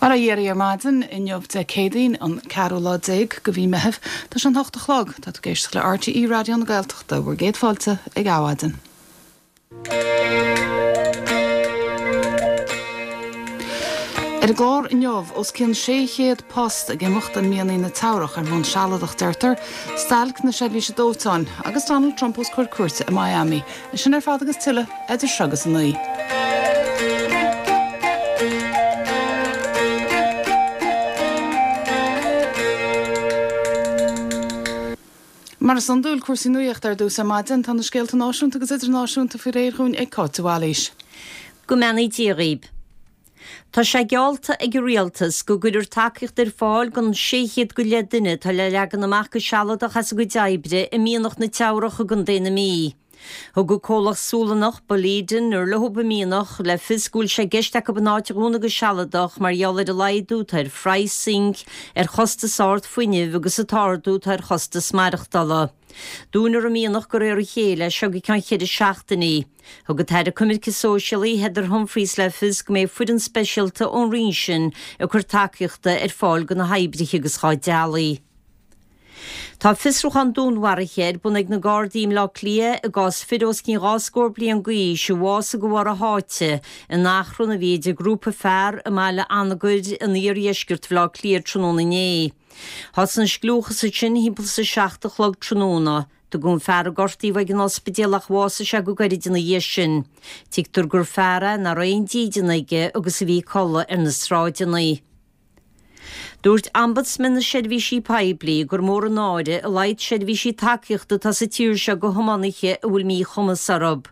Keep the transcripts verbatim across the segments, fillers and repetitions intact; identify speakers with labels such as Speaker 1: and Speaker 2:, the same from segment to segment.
Speaker 1: Bail ó Dhia oraibh ar maidin inniu Dé Céadaoin an ceathrú lá déag de mhí Mheithimh tá sé an hocht a chlog tá tú ag éisteacht le RTÉ Raidió na Gaeltachta bhur gcéad fáilte ag Adhmhaidin. Ar an gclár inniu os cionn sé chéad post ag imeacht i mianaigh na Teamhrach ar bhonn sealadach deirtear, stailc na seirbhíse dóiteáin agus Donald Trump os comhair cúirte i Miami. É sin ar fad agus tuilleadh idir seo agus a naoi. Mar is iondúil cúrsaí nuachta ar dtús ar maidin, tá na scéalta náisiúnta agus idirnáisiúnta faoi réir dhúinn ag Cáit de Bhailís.
Speaker 2: Go mbeannaí Dia dhaoib. Tá sé geallta ag an Rialtas go gcuirfear tacaíocht ar fáil don sé chéad go leith duine atá le leagan amach go sealadach as a gcuid oibre i mianach na Teamhrach i gContae na Mí. Thug an comhlacht Sualannach, Boliden, ar leob an mianach, le fios go bhfuil sé i gceist acu an áit a dhúnadh go sealadach mar gheall ar an laghdú atá ar phraghas zinc, ar chostas ard fuinnimh agus an t-ardú atá ar chostas maireachtála. Dúnfar an mianach de réir a chéile as seo go ceann ceithre seachtainí. Thug an tAire Coimirce Sóisialaí Heather Humphreys le fios go mbeidh foireann speisialta ón roinn sin ag cur tacaíochta ar fáil do na hoibrithe agus dá dteaghlaigh. Tá fiosrúchán dúnmharaithe ar bun ag na Gardaí i mBleá Cliath i gcás fir os cionn dhá scór bliain d'aois a bhásaigh de bharr a sháite in achrann a bhí idir grúpa fear i mBaile Anagaire in iardheisceart Bhaile Átha Cliath tráthnóna inné. Thosaigh an scliúchas ansin thimpeall is a seacht a chlog tráthnóna. Tugadh an fear a gortaíodh ag an ospidéal ach bhásaigh sé go gairid ina dhiaidh sin. Tuigtear gur fear é nach raibh aon dídean aige agus a bhí ag codladh ar na sráideanna. Dúirt Ombudsman na Seirbhísí Poiblí gur mór an náire a laghad seirbhísí tacaíochta atá sa tír seo do thiománaithe a bhfuil míchumas orthu.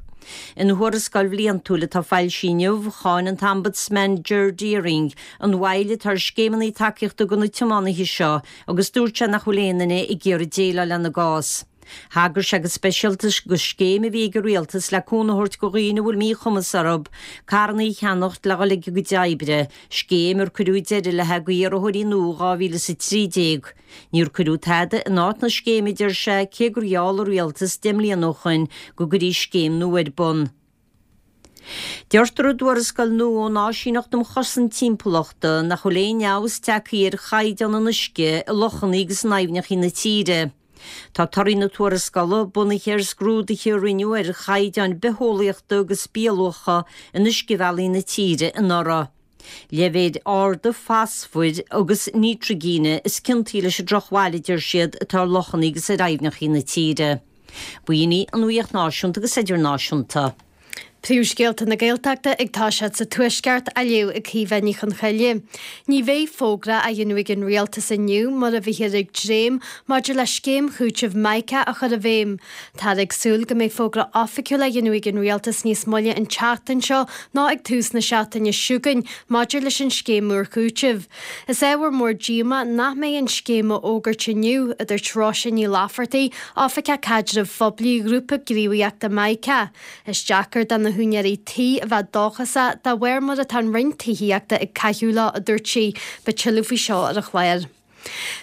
Speaker 2: Ina thuarascáil bhliantúil atá foilsithe inniu, cháin an tOmbudsman Ger Deering an mhoill atá ar scéimeanna tacaíochta do na tiománaithe seo agus dúirt sé nach bhfuil aon duine ag iarraidh déileáil lena gcás. Thagair sé go speisialta do scéim a bhí ag an rialtas le cúnamh a thabhairt do dhaoine a bhfuil míchumas orthu carranna a cheannacht le dhul ag a gcuid oibre, scéim ar cuireadh deireadh léi d'iarrthóirí nua dhá mhíle is a trí déag. Níor cuireadh tada in áit na scéime, a deir sé, cé gur gheall an rialtas deich mbliana ó shoin go gcuirfí scéim nua ar bun. Deirtear i dtuarascáil nua ón Áisíneacht um Chosaint Timpeallachta nach bhfuil aon fheabhas tagtha ar chaighdeán an uisce i lochanna agus in aibhneacha na tíre. Tá torthaí na tuarascála bunaithe ar scrúduithe a rinneadh ar chaighdeáin bitheolaíochta agus bialuacha in uiscebhealaí na tíre anuraidh. Leibhéil arda fosfair agus nítrigine is ciontaí leis an drochbhail, a deir siad, atá ar lochanna agus ar aibhneacha na tíre. B'in í an nuacht náisiúnta agus idirnáisiúnta.
Speaker 3: Príomhscéalta na Gaeltachta ag toiseacht sa Tuaisceart á léamh ag Caoimhe Ní Chonchoille. Ní bheidh fógra á dhéanamh ag an Rialtas inniu mar a bhíthear ag dréim maidir le scéim chúitimh Mica a chur i bhfeidhm. Táthar ag súil go mbeidh fógra oifigiúil á dhéanamh ag an Rialtas níos moille an tseachtain seo nó ag tús na seachtaine seo chugainn maidir leis an scéim úr chúitimh. Is ábhar mór díomá nach mbeidh an scéim á fhógairt inniu, a dúirt Róise Ní Laifeartaigh, Oifigeach Caidrimh Phoiblí Ghrúpa Gníomhaíochta Mica. Is deacair do na húinéirí tí a bheith dóchasach de bharr mar atá an Roinn Tithíochta ag caitheamh leo, a dúirt sí. Beidh tuilleadh faoi seo ar an chlár.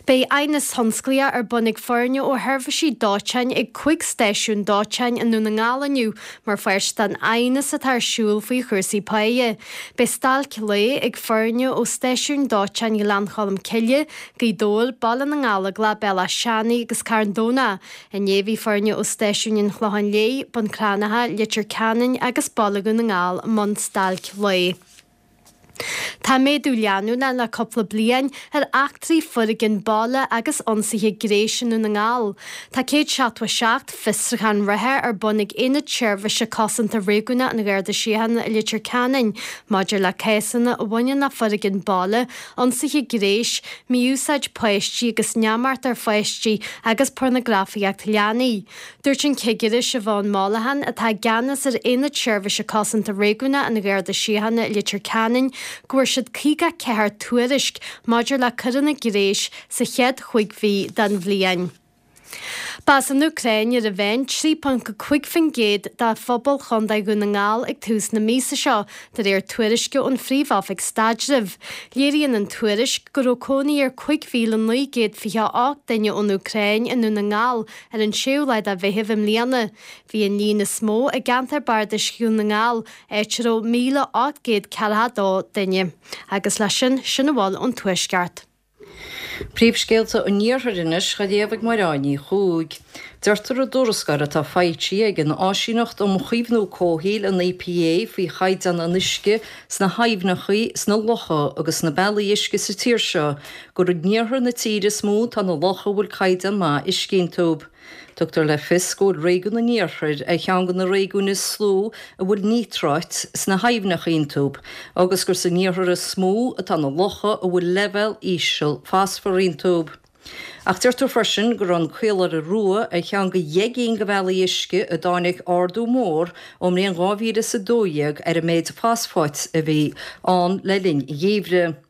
Speaker 3: Beidh aighneas tionsclaíoch ar bun ag foirne ó sheirbhísí dóiteáin ag cúig stáisiún dóiteáin i nDún na nGall inniu mar pháirt den aighneas atá ar siúl faoi chúrsaí páighe. Beidh stailc lae ag foirne ó stáisiúin dóiteáin Ghleann Cholm Cille, Gaoth Dobhair, Baile na nGallóglach, Béal Átha Seanaidh agus Carn Domhnach. Inné bhí foirne ó stáisiúin an Chlocháin Léith, Bun Cranncha, Leitir Ceanainn agus Baile Dhún na nGall i mbun stailc lae. Tá méadú leanúnach le cúpla bliain ar eachtraí foréigin baile agus ionsaithe gnéis i nDún na nGall. Tá céad seachtó a seacht fiosrúchán reatha ar bun ag Aonad Seirbhíse Cosanta Réigiúnach an Gharda Síochána i Leitir Ceanainn maidir le cásanna a bhaineann le foréigean baile, ionsaithe gnéis, mí-úsáid páistí agus neamart ar pháistí agus pornagrafaíocht leanaí. Dúirt an Cigire Siobhán Mollaghan, atá i gceannas ar Aonad Seirbhíse Cosanta Réigiúnach an Gharda Síochána i Leitir Ceanainn, go bhfuair siad caoga ceathair tuairisc maidir le coireanna gnéis sa chéad chúig mhí den bhliain. B'as an Úcráin ar a mheán trí ponc cúig faoin gcéad de phobal Chontae Dhún na nGall ag tús na míosa seo, de réir tuairisce ón Phríomh-Oifig Staidrimh. Léiríonn an tuairisc go raibh cónaí ar cúig mhíle naoi gcéad fiche a ocht duine ón Úcráin i nDún na nGall ar an séú lá de Mheitheamh i mbliana. Bhí an líon is mó i gceantar bardais Dhún na nGall, áit a raibh míle ocht gcéad ceathracha dó duine. Agus leis sin, sin a bhfuil ón Tuaisceart.
Speaker 4: Príomhscéalta an Iarthair anois á léamh ag Máire Ní Chuaig. Deirtear i dtuarascáil atá foilsithe ag an Áisíneacht um Chaomhnú Comhshaoil, an EPA, faoi chaighdeán an uisce sna haibhneacha, sna locha agus sna bealaí uisce sa tír seo gur in iarthar na tíre is mó atá na locha a bhfuil caighdeán maith uisce iontu. Tugtar le fios go bhfuil réigiún an Iarthair ar cheann de na réigiúin is lú a bhfuil níotráit sna haibhneacha iontu agus gur san iarthar is mó atá na locha a bhfuil leibhéal íseal fosfair iontu. Ach deirtear freisin go raibh an Caoláire Rua ar cheann de dheich gcinn de bhealaí uisce a dtáinig ardú mór ón mbliain dhá mhíle is a dó dhéag ar an méid fosfáit a bhí ann le linn an gheimhridh.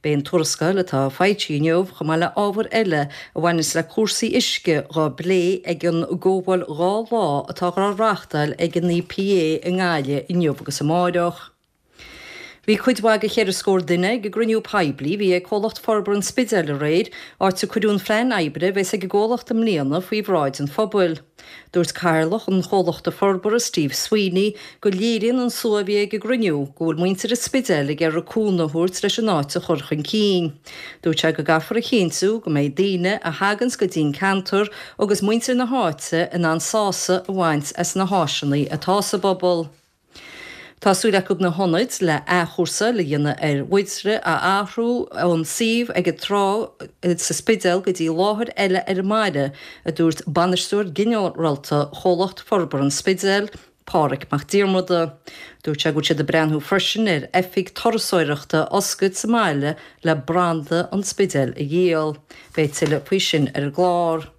Speaker 4: Beidh an tuarascáil atá foilsithe inniu, chomh maith le ábhair eile a bhaineanns le cúrsaí uisce, dhá bplé ag an gcomhdháil dhá lá atá dhá reáchtáil ag an EPA i nGaillimh inniu agus amáireach. Bhí cuid mhaith de cheithre scór duine ag an gcruinniú poiblí a bhí ag Comhlacht Forbartha an Spidéil aréir, áit a cuireadh an phlean oibre a bheas ag an gcomhlacht i mbliana faoi bhráid an phobail. Dúirt Cathaoirleach an Chomhlachta Forbartha, Steve Sweeney, go léiríonn an slua a bhí ag an gcruinniú go bhfuil muintir an Spidéil ag iarraidh cúnamh a thabhairt leis an áit a chur chun cinn. Dúirt sé go gcaithfear a chinntiú go mbeidh daoine a thaganns go dtí an ceantar agus muintir na háite in ann sásamh a bhaint as na háiseanna atá sa bpobal. Tá súil acu na hionaid le athchúrsáil a dhéanamh ar bhóithre a athrú ón suíomh ag an trá sa Spidéal go dtí láthair eile ar an mbaile, a dúirt bainisteoir ginearálta Chomhlacht Forbartha an Spidéil, Páraic Mac Diarmada. Dúirt sé go bhfuil siad ag breathnú freisin ar oifig turasóireachta a oscailt sa mbaile le branda an Spidéil a dhíol. Beidh tuilleadh faoi sin ar an gclár.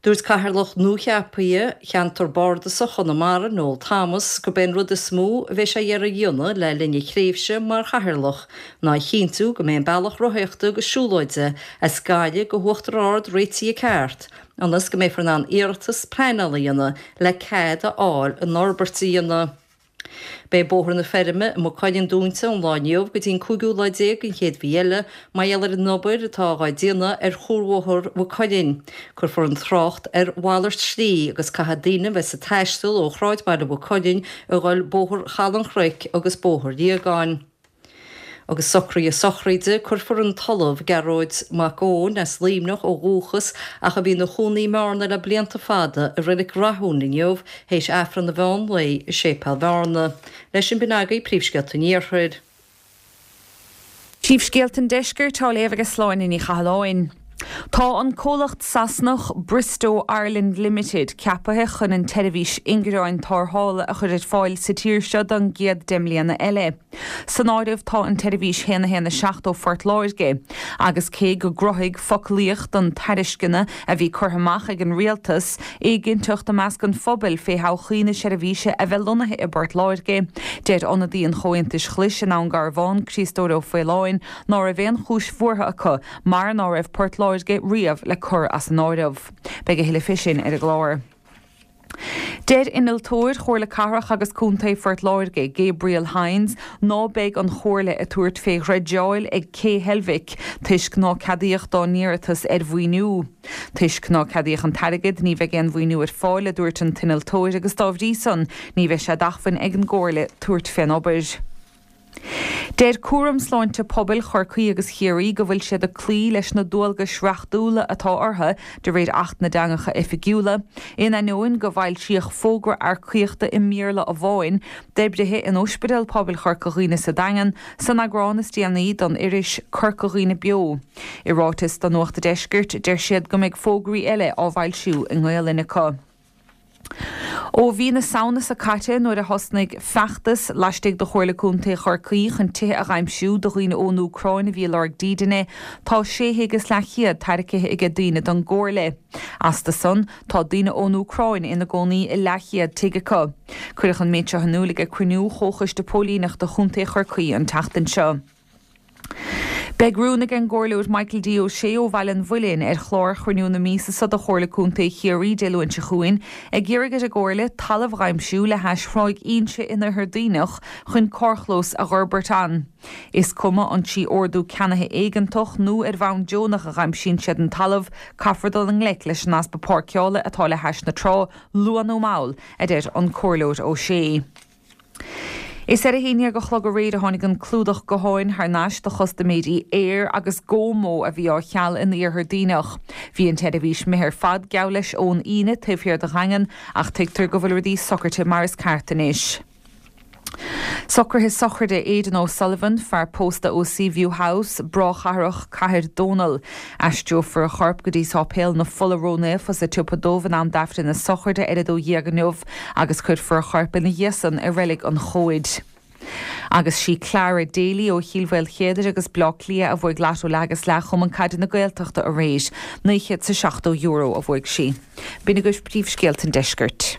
Speaker 4: Dúirt Cathaoirleach nuacheaptha Cheantar Bardasach Chonamara, Noel Thomas, gurb é an rud is mó a bheidh sé ag iarraidh a dhéanamh le linn a thréimhse mar Chathaoirleach ná a chinntiú go mbeidh an bealach rothaíochta agus siúlóide as Gaillimh go hUachtar Ard réitithe ceart ionas go mbeifear in ann iarratas pleanála a dhéanamh le cead a fháil an fhorbairt a dhéanamh. Beidh Bóthar na Feirme i Maigh Cuilinn dúnta ón lá inniu go dtí an cúigiú lá déag den chéad mhí eile mar gheall ar an obair atá dhá déanamh ar chuarbhóthar Mhaigh Cuilinn. Cuirfear an trácht ar mhalairt slí agus caithfidh daoine a bheas ag taisteal ó shráidbhaile Mhaigh Cuilinn a dhul Bóthar Chaladh an Chnoic agus Bóthar Liagáin. Agus socruithe sochraide, cuirfear an tOllamh Gearóid Mac Eoin, as Luimneach ó dhúchas ach a bhí ina chónaí i mBearna le blianta fada, i Reilig Rathúin inniu théis Aifreann an mheán lae i Séipéal Bhearna. Leis sin b'in agaibh príomhscéalta an Iarthair.
Speaker 5: Príomhscéalta an Deiscirt á léamh ag Sláine Ní Chathalláin. Tá an comhlacht Sasanach Bristow Ireland Limited ceaptha chun an tseirbhís ingearáin tarrthála a chur ar fáil sa tír seo don gcéad deich mbliana eile. San áireamh tá an tseirbhís haon a haon a seacht ó Phort Láirge, agus cé go gcruthaigh foclaíocht an tairisceana a bhí curtha amach ag an rialtas éiginnteacht i measc an phobail fé thodhchaí na seirbhíse a bheith lonnaithe i bPort Láirge, deir ionadaí an Chomhaontais Ghlais i nDún Garbhán, Críostóir Ó Faoláin, ná raibh aon chúis bhuartha acu mar ná raibh Port Láirge riamh le cur as an áireamh. Beidh a thuilleadh fé sin ar an gclár. Deir innealtóir Chomhairle Cathrach agus Contae Phort Láirge, Gabriel Hynes, ná beidh an Chomhairle ag tabhairt fé dhreideáil ag Cé Heilbhic toisc ná ceadaíodh dá n-iarratas ar mhaoiniú. Toisc ná ceadaíodh an t-airgead, ní bheidh aon mhaoiniú ar fáil, a dúirt an t-innealtóir, agus dá bhrí san, ní bheidh sé d'acmhainn ag an gComhairle tabhairt fén obair. Deir Cúram Sláinte Pobail Chorcaí agus Chiarraí go bhfuil siad ag cloí leis na dualgais reachtúla atá orthu de réir Acht na dTeangacha Oifigiúla, in ainneoin go bhfoilsíodh fógra earcaíochta i mBéarla amháin d'oibrithe in Ospidéal Pobail Chorca Dhuibhne sa Daingean san eagrán is déanaí don iris Corca Dhuibhne Beo. I ráiteas do Nuacht an Deiscirt, deir siad go mbeidh fógraí eile á bhfoilsiú i nGaolainn acu. Ó mhí na Samhna seo caite nuair a thosnaigh feachtas laistigh de Chomhairle Contae Chorcaí chun tithe a dh'aimsiú do dhaoine ón Úcráin a bhí ag lorg dídine, tá sé thigh is leathchéad tairgthe aige daoine don gComhairle. Astu san, tá daoine ón Úcráin ina gcónaí i leathchéad tigh acu. Cuireadh an méid seo in iúl ag cruinniú Chomhchoiste Póilíneachta Chontae Chorcaí an tseachtain seo. Beidh rún ag an gComhairleoir Michael D. Ó Sé ó Bhaile an Mhuilinn ar chlár chruinniú na míosa seo de Chomhairle Contae Chiarraí Dé Luain seo chugainn ag iarraidh ar an gComhairle talamh a aimsiú le hais Thráigh Inse in Oirthear Duibhneach chun carrchlós a dh'fhorbairt ann. Is cuma an trí ordú ceannaithe éigeantach nó ar bhonn deonach a aimsíonn siad an talamh, caithfear dul i ngleic leis an easpa páirceála atá le hais na trá, luath nó mall, a deir an Comhairleoir Ó Sé. Is ar a haon déag a chlog aréir a tháinig an clúdach gutháin thar n-ais do chustaiméirí Eir agus GoMo a bhí á cheal in Iarthar Duibhneach. Bhí an tseirbhís imithe ar fad geall leis ón Aoine taobh thiar de Dhaingean ach tuigtear go bhfuil rudaí socraithe mar is ceart anois. Socruithe sochraide Aidan O'Sullivan, fear pósta ó Seaview House, Bráchathrach, Cathair Dónall. Aistreofar a chorp go dtí Sáipéal na Fola Ró-Naofa sa tSiopa Dubh in am d'Aifreann na sochraide ar a dó dhéag inniu agus cuirfear a chorp ina dhiaidh san i Reilig an Chomhaid. Agus sí Clara Daly ó Chill Mhaoilchéadair agus Bleá Cliath a bhuaigh Lotto Leath agus Leath Chumann Caide na Gaeltachta aréir. Naoi chéad 's a seachtó euro a bhuaigh sí. B'in agaibh príomhscéalta an deiscirt.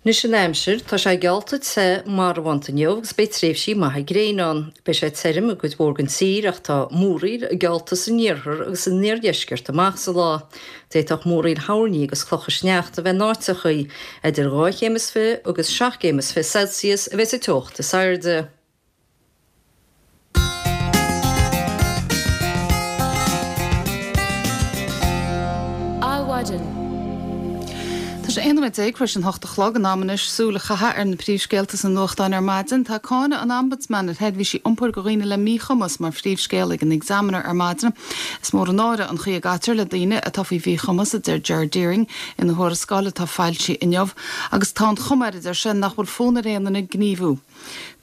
Speaker 4: Anois an aimsir, tá sé geallta te marbhánta inniu agus beidh tréimhsí maithe gréine ann. Beidh sé tirim i gcuid mhór den tír ach tá múraíl geallta san iarthar agus san iardheisceart amach sa lá. D'fhéadfadh múraíl thoirní agus clocha sneachta a bheith in áiteachaí. Idir dhá chéim is fiche agus seacht gcéim is fiche Celsius a bheidh sa teocht is airde.
Speaker 1: Adhmhaidin. Tá sé aon nóiméad déag tar éis an hocht a chlog, in am anois súil a chaitheamh ar na príomhscéalta sna nuachtáin ar maidin. Tá cáineadh an Ombudsman ar sheirbhísí iompair do dhaoine le míchumas mar phríomhscéal ag an Examiner ar maidin. Is mór an náire an chaoi a gcaitear le daoine atá faoi mhíchumas, a deir Ger Deering ina thuarascáil atá foilsithe inniu, agus tá an chuma air, a deir sé, nach bhfuil fonn ar aon duine gníomhú.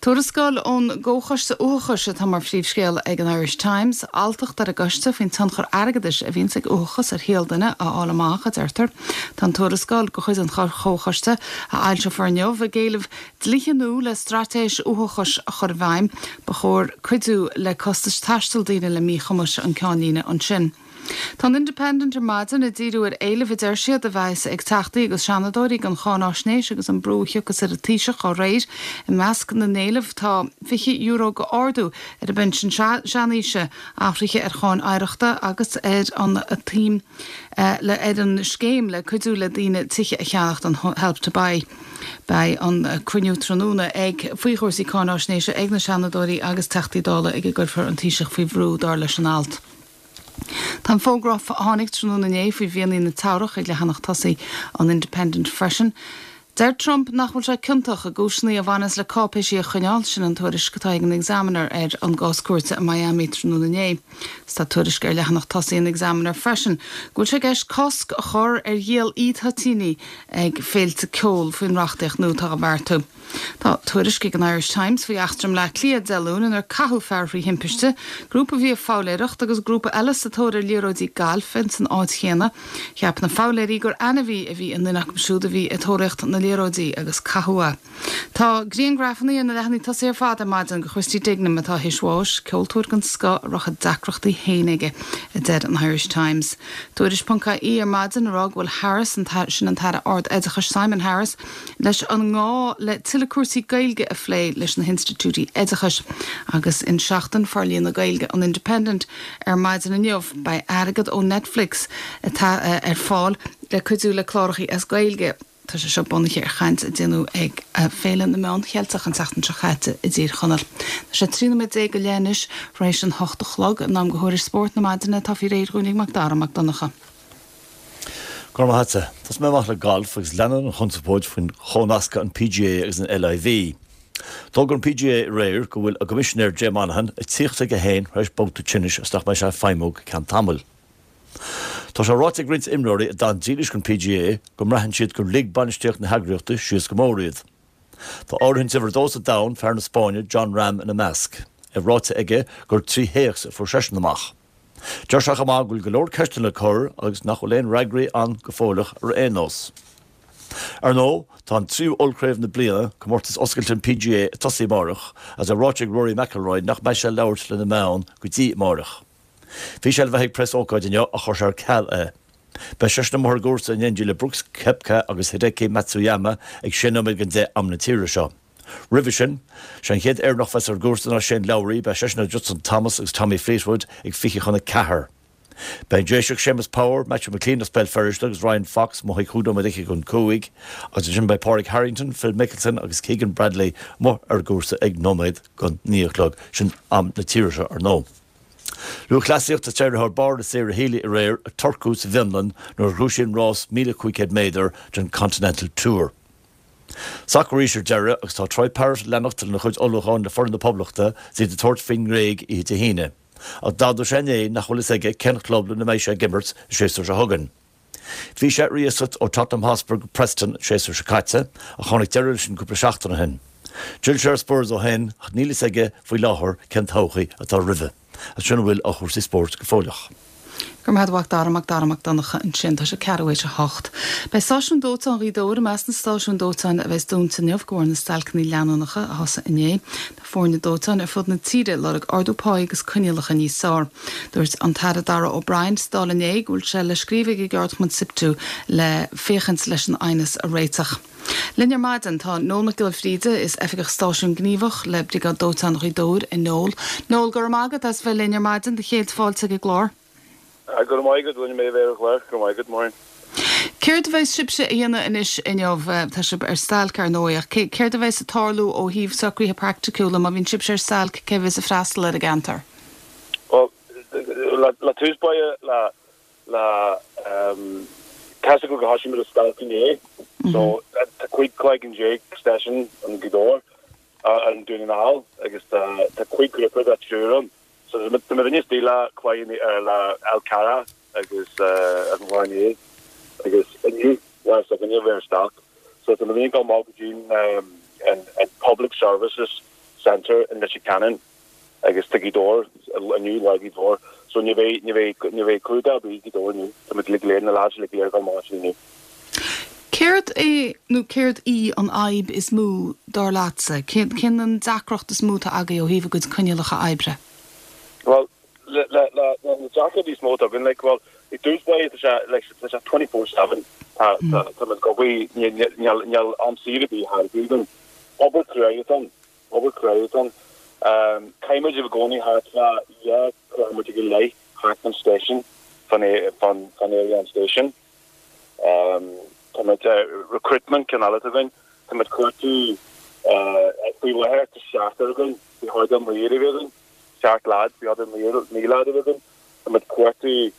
Speaker 1: Tuarascáil ón gComhchoiste Uathachais atá mar phríomhscéal ag an Irish Times. Alltacht ar an gcoiste faoin tionchar airgeadais a bhíonns ag uathachas ar shaol duine a fháil amach, a deirtear. Tá an tuarascáil de chuid an Chomhchoiste, a fhoilseofar inniu, ag éileamh dlíthe nua le straitéis uathachais a chur i bhfeidhm. Ba chóir cuidiú le costais taistil daoine le míchumais an ceannlíne ansin. Tá an Independent ar maidin ag díriú ar éilimh a deir siad a bheas ag Teachtaí agus Seanadóirí don cháináisnéis agus an brú a thiocfas ar an Taoiseach dá réir. I measc na n-éileamh tá fiche euro d'ardú ar an bpensean seanaoise, athruithe ar cháin oidhreachta agus ar an tsuim le ar an scéim le cuidiú le daoine tithe a cheannacht, an Help to Buy. Beidh an cruinniú tráthnóna ag faoi chúrsaí cáináisnéise ag na Seanadóirí agus Teachtaí Dála ag a gcuirfear an Taoiseach faoi bhrú, dar leis an alt. Tá an fógra a tháinig tráthnóna inné faoi mhianaigh na Teamhrach ag leathanach tosaigh an Independent freisin. Deir Trump nach bhfuil sé ciontach i gcúiseanna a bhaineas le cáipéisí a choinneáil, sin an tuairisc atá ag an Examiner ar an gcás cúirte i Miami tráthnóna inné. Is tá tuairisc ar leathanach tosaigh an Examiner freisin go bhfuil sé i gceist cosc a chur ar dhíol e-toitíní ag féilte ceoil faoin reachtaíocht nua atá á beartú. Tá tuairisc ag an Irish Times faoi eachtra i mBleá Cliath Dé Luain inar caitheadh fear thrí thimpiste, grúpa a bhí ag foghlaeireacht agus grúpa eile sa tóir ar liathróidí gailf ins an áit chéanna. Cheap na foghlaeirí gur ainmhí a bhí i nduine acu siúd a bhí ag tóraíocht na liathróidí agus caitheadh é. Tá grianghrafanna ar na leathanaigh tosaigh ar fad ar maidin de Christy Dignam atá théis bháis, ceoltóir den scoth a raibh a deacrachtaí féin aige, a deir an Irish Times. Tuairisc ponc ie ar maidin ag rá go bhfuil Harris, sin an tAire Ard-Oideachais Simon Harris, leis an ngá le tuilleadh cúrsaí Gaeilge a phlé leis na hinstitiúidí oideachais agus in Seachtain Forlíonadh Gaeilge an Independent ar maidin inniu beidh airgead ó Netflix ar fáil le cuidiú le cláracha as Gaeilge. Tá sé seo bunaithe ar chaint a déanadh ag Féile na Meán Cheilteach an tseachtain seo caite i dTír Chonaill. Tá sé trí nóiméad déag go leith anois tar éis an hocht a chlog, in am do thuairisc spóirt na maidine atá faoi réir dhúinn ag Macdara Mac Donncha.
Speaker 6: Go raibh maith agatsa. Tosóidh mé amach le galf agus leanann an chonspóid faoin chónascadh an PGA agus an LIV. D'fhógair an PGA aréir go bhfuil a gcoimisinéir Jay Monahan ag tíocht chuige féin tar éis babhta tinnis agus nach mbeidh sé ag feidhmiú go ceann tamaill. Tá sé ráite ag roinnt imreoirí a d'fhan dílis don PGA go mbraitheann siad gur lig bainistíocht na heagraíochta síos go mór iad. Tá áirithint uimhir a dó sa domhan, fear na Spáinne, Jon Rahm ina measc. É ráite aige gur trí théacs a fuair seisean amach. Deir sé chomh maith go bhfuil go leor ceisteanna le cur agus nach bhfuil aon fhreagraí ann go fóilleach ar aon nós. Ar ndóigh, tá an tríú ollchraobh na bliana, Comórtas Oscailte an PGA, ag tosaí amárach agus é ráite ag Rory McIlroy nach mbeidh sé ag labhairt le na meáin go dtí amárach. Bhí sé le bheith ag preasócáid inniu ach chuir sé ar ceal é. Beidh seisean amuigh ar an gcúrsa in éindí le Brooks Koepka agus Hideki Matsuyama ag sé nóiméad don deich am na tíre seo. Roimhe sin, sé an chéad Éireannach a bheas ar an gcúrsa ná Shane Lowry, beidh seisean le Justin Thomas agus Tommy Fleetwood ag fiche chun a ceathair. Beidh an Déiseach Séamus Power, Matthew McClean as Béal Feirste agus Ryan Fox amuigh ag cúig nóiméad fhichead chun cúig, agus ansin beidh Pádraig Harrington, Phil Mickelson agus Keegan Bradley amuigh ar an gcúrsa ag nóiméad go naoi a chlog, sin am na tíre seo ar ndóigh. Lúthchleasaíocht is d'éirigh thar barr le Sarah Healy aréir i Turku sa bhFionlainn nuair a ghnóthaigh sí an rás míle cúig chéad méadar den Continental Tour. Sacar arís ar deireadh agus tá Troy Parrott ag leanacht lena chuid ullmhúcháin le foireann na Poblachta is iad ag tabhairt faoin nGréig oíche Dé hAoine. Ach d'admhaigh sé inné nach bhfuil fhios aige cén chlub lena mbeidh sé ag imirt an séasúr seo chugainn. Bhí sé ar iasacht ó Tottenham Hotspur go Preston an séasúr seo caite ach tháinig deireadh leis sin cúpla seachtain ó shin. D'fhill sé ar Spurs ó shin ach níl fhios aige faoi láthair cén todhchaí atá roimhe. Agus sin a bhfuil ó chúrsaí spóirt go fóilleach.
Speaker 1: Go raibh maith agat a Mhac Dara, Mac Dara Mac Donncha ansin. Tá sé ceathrú théis a hocht. Beidh stáisiún dóiteáin Ghaoth Dobhair i measc na stáisiún dóiteáin a bheas dúnta inniu de bharr na stailceanna leanúnacha a thosaigh inné. Tá foirne dóiteáin ar fud na tíre ag lorg ardú páí agus coinníollacha níos fearr. Dúirt an tAire Darragh O'Brien sa Dáil inné go bhfuil sé le scríobh ag an gceardchumann SIPTU le féachaint leis an aighneas a réiteach. Linn ar maidin tá Noel Mac Giolla Bhríde, is oifigeach stáisiún gníomhach le Briogáid Dóiteáin Ghaoth Dobhair. A Noel. Noel, go raibh maith agat as bheith linn ar maidin, do chéad fáilte ag an gclár.
Speaker 7: Go raibh maith agat, rinne mé bheith ar an chlár, go raibh maith agat, Maureen.
Speaker 1: Céard a bheas sibhse a dhéanamh anois inniu? Tá sibh ar stailc ar ndóigh, ach céard a bheas ag tarlú ó thaobh socruithe praiticiúla má bhíonn sibhse ar stailc, cé a bheas ag freastal ar an gceantar?
Speaker 7: Bhuel, le tús báire le le tá a fhios agat gur thosaigh muid ar stailc inné, so tá cúig cloigeann déag stáisiún in Gaoth Dobhair, i nDún na nGall agus tá tá cúig ghrúpa de triúr ann. So tá muid istigh le Cloich le Fhál Carrach agus an Chlochán Liath agus inniu lá s'againne bheith ar stailc. So tá muid ag dul amach go dtí an an Public Services Centre in Leitir Ceanainn agus tá Gaoth Dobhair inniu lá Ghaoth Dobhair. So ní bheidh ní bheidh ní bheidh clúdach ar bith Gaoth Dobhair inniu. Tá muid uilig go léir na lads uilig go léir ag dul amach ansin inniu.
Speaker 1: Céard é nó céard í an fhadhb is mó dar leatsa? Cén cén an deacracht is mó atá agaibh ó thaobh a gcuid coinníollacha oibre?
Speaker 7: Well, le le le na deacrachtaí is mó atá againn, like, well, i dtús báire tá sé, like, tá sé twenty four seven, tá tá tá muid ag obair, níl níl níl am saor ar bith ar bith againn. Obair cruaidh atá ann, obair cruaidh atá ann. Um, caithfidh muid i gcónaí thart fá dhá kilometre go leith thart fan station, fan fan fan area an station. Um, tá muid uh, recruitment ceann eile atá againn, tá muid cuartú uh, faoi láthair tá seachtar againn, bhí thart ar míle a bheith againn. Seacht lads, bhí thart ar naoi lad a bheith againn. Tá muid cuartú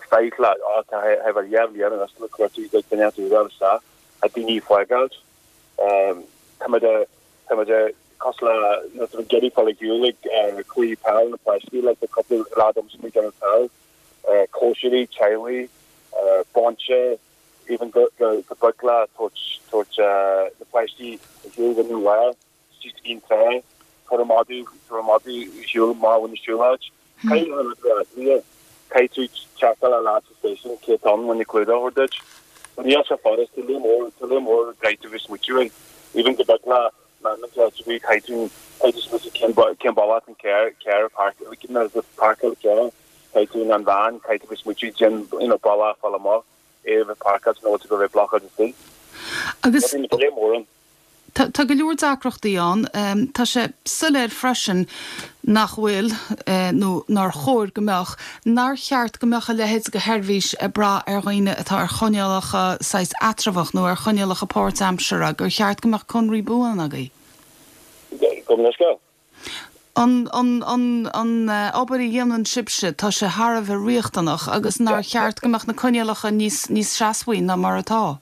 Speaker 7: five lad, á tá thar dhá bhliain anois tá muid cuartú duine a fháil isteach, tá daoine ag fágáilt. Tá muid tá muid cosúil le nuair atá muid ag iarraidh fáil ar shiúl ag cluichí peil na páistí, like tá cúpla lad agamsa ag déanamh peil, cóisirí, teaghlaigh, bainse, even go go go beag le tabhairt tabhairt na páistí ar shiúl go New Lá. Just an trá, tabhair an madadh, tabhair an madadh ar shiúl má bhain siúlóid. Caithfidh an rud a bheith caithfidh tú teacht le leaid sa station cé atá ann chun clúdach a thabhairt duit. So níl sé furast, tá lear mór, tá lear mór caithfidh tú bheith smaoitiú air. Even go beag le man caithfidh tú caithfidh tú caithfidh tú smaoitiú cén cén bealach an carr carr a park parcáil carr caithfidh tú an van caithfidh tú bheith smaoitiú cén you know bealach fáil amach é a bheith parcáilte nó go bheith blocáilte istigh.
Speaker 1: Agus
Speaker 7: Tá lear mór ann.
Speaker 1: Tá tá go leor deacrachtaí ann. Tá sé soiléir freisin nach bhfuil, nó nár chóir go mbeadh, nár cheart go mbeadh a leithéid de sheirbhís ag brath ar dhaoine atá ar choinníollacha saghas eatramhach nó ar choinníollacha páirtaimseartha, gur cheart go mbeadh conraí buan agaibh.
Speaker 7: Gabh mo leithscéal.
Speaker 1: An an an an obair a dhéanann sibhse, tá sé thar a bheith riachtanach agus nár cheart go mbeadh na coinníollacha níos níos seasmhaí ná mar atá.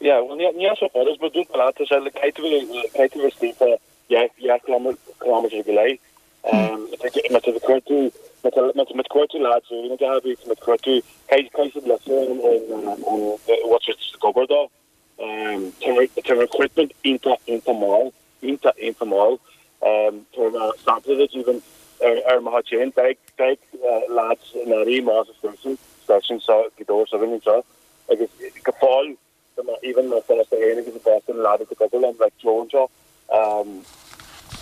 Speaker 7: Yeah, well, níl níl sé furast, mar dúirt mé leat, tá sé like caithfidh tú bheith caithfidh tú bheith istigh fá dhá dhá kilometre go leith. Má tá tú ag cuartú má tá má tá cuartú lads úr na gabhaí, tá cuartú caithfidh caithfidh siad litir ón ón ón what's it ag obair dó. Tá tá recruitment iontach iontach mall, iontach iontach mall. Tá mé sampla duit even ar ar mo chuid féin, beidh beidh lads in éirí amach sa station station seo Gaoth Dobhair s'againn anseo agus go fóill Tá mé even mo phost féin agus an post an lad atá ag obair liom like Joe anseo um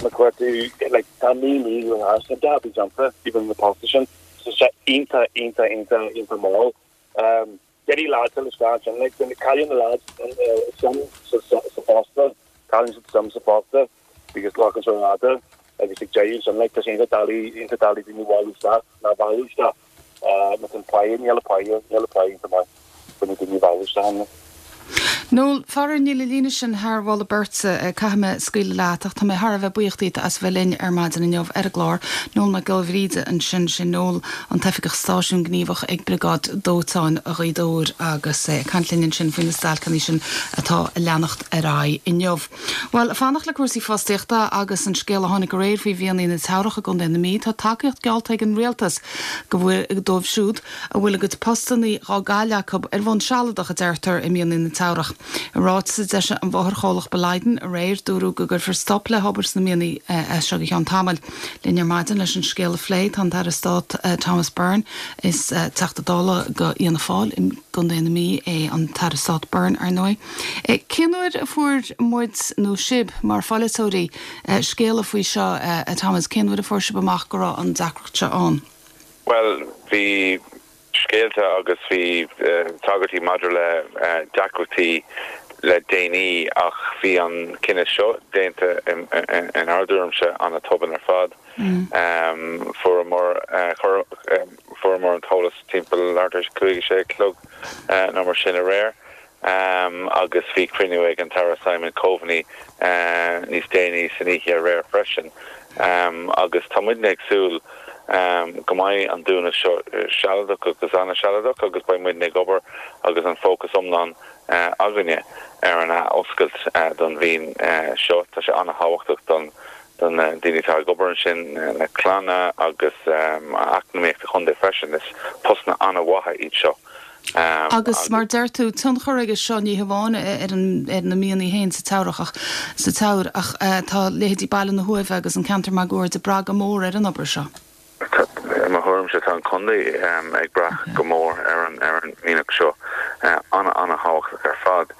Speaker 7: na cuartú like tá mí mí ó thar sa dá bí déanta even na posta sin so sé iontach iontach iontach iontach mall um Getty lads le isteach sin like na cailleann na lads sin sa sa sa posta Cailleann siad suim sa phota agus glacann sé fhada agus ag deireadh sin like tá sé iontach doiligh iontach doiligh daoine a bhailiú isteach ná bhailiú isteach má tá an paí níl an paí níl an paí iontach maith chun na daoine a bhailiú isteach ann.
Speaker 1: Noel, faraor níl an líne sin thar mholadh beirte, caithfidh mé scaoileadh leat ach tá mé thar a bheith buíoch díot as bheith linn ar maidin inniu ar an gclár. Noel Mac Giolla Bhríde ansin, sin Noel, an t-oifigeach stáisiúin gníomhach ag Briogáid Dóiteáin Ghaoth Dobhair agus é ag caint linn ansin faoi na stailceanna sin atá ag leanacht ar aghaidh inniu. Bhuel, fanacht le cúrsaí fostaíochta agus an scéal a tháinig aréir faoi mhianaigh na Teamhrach i gContae na Mí, tá tacaíocht geallta ag an Rialtas go bhfuil dóibh siúd a bhfuil a gcuid postanna á gcailleadh acu ar bhonn sealadach, a deirtear, i mianaigh na Teamhrach. I ráiteas a d'eisigh an mháthairchomhlacht Boliden aréir, dúradh go gcuirfear stop le hobair sna mianaigh as seo go ceann tamaill. Linn ar maidin leis an scéal a phlé tá an tAire Stáit Thomas Byrne. Is Teachta Dála do Fhianna Fáil i gContae na Mí é an tAire Stáit Byrne, ar ndóigh. Cén uair a fuair muid, nó sibh mar pholaiteoirí, scéala faoi seo, a Thomas? Cén uair a fuair sibh amach go raibh an deacracht seo ann?
Speaker 8: Bhuel, bhí scéalta agus bhí tagairtí maidir le deacrachtaí le déanaí ach bhí an cinneadh seo déanta inár dtuairimse an-tobann ar fad. Fuaireamar fuaireamar an t-eolas timpeall leathuair tar éis a cúig, a sé a chlog nó mar sin aréir. Agus bhí cruinniú ag an tAire Simon Coveney níos déanaí san oíche aréir freisin. Agus tá muidne ag súil go mbeidh an dúnadh seo sealadach agus an-sealadach agus beidh muidne ag obair agus an fócas iomlán againne ar an athoscailt don mhín seo. Tá sé an-thábhachtach don do na daoine atá ag obair ansin, na clanna agus eacnamaíocht an chontae freisin. Is postanna an-mhaithe iad seo.
Speaker 1: Agus mar deir tú, tionchar aige seo ní hamháin ar an ar na mianaigh féin sa Teamhrach ach sa Teamhair ach tá leithéidí Baile na hUaimhe agus an ceantar máguaird ag brath go mór ar an obair seo.
Speaker 8: I mo thuairimse tá an contae ag brath go mór ar an ar an mianach seo. An-an-thábhachtach ar fad.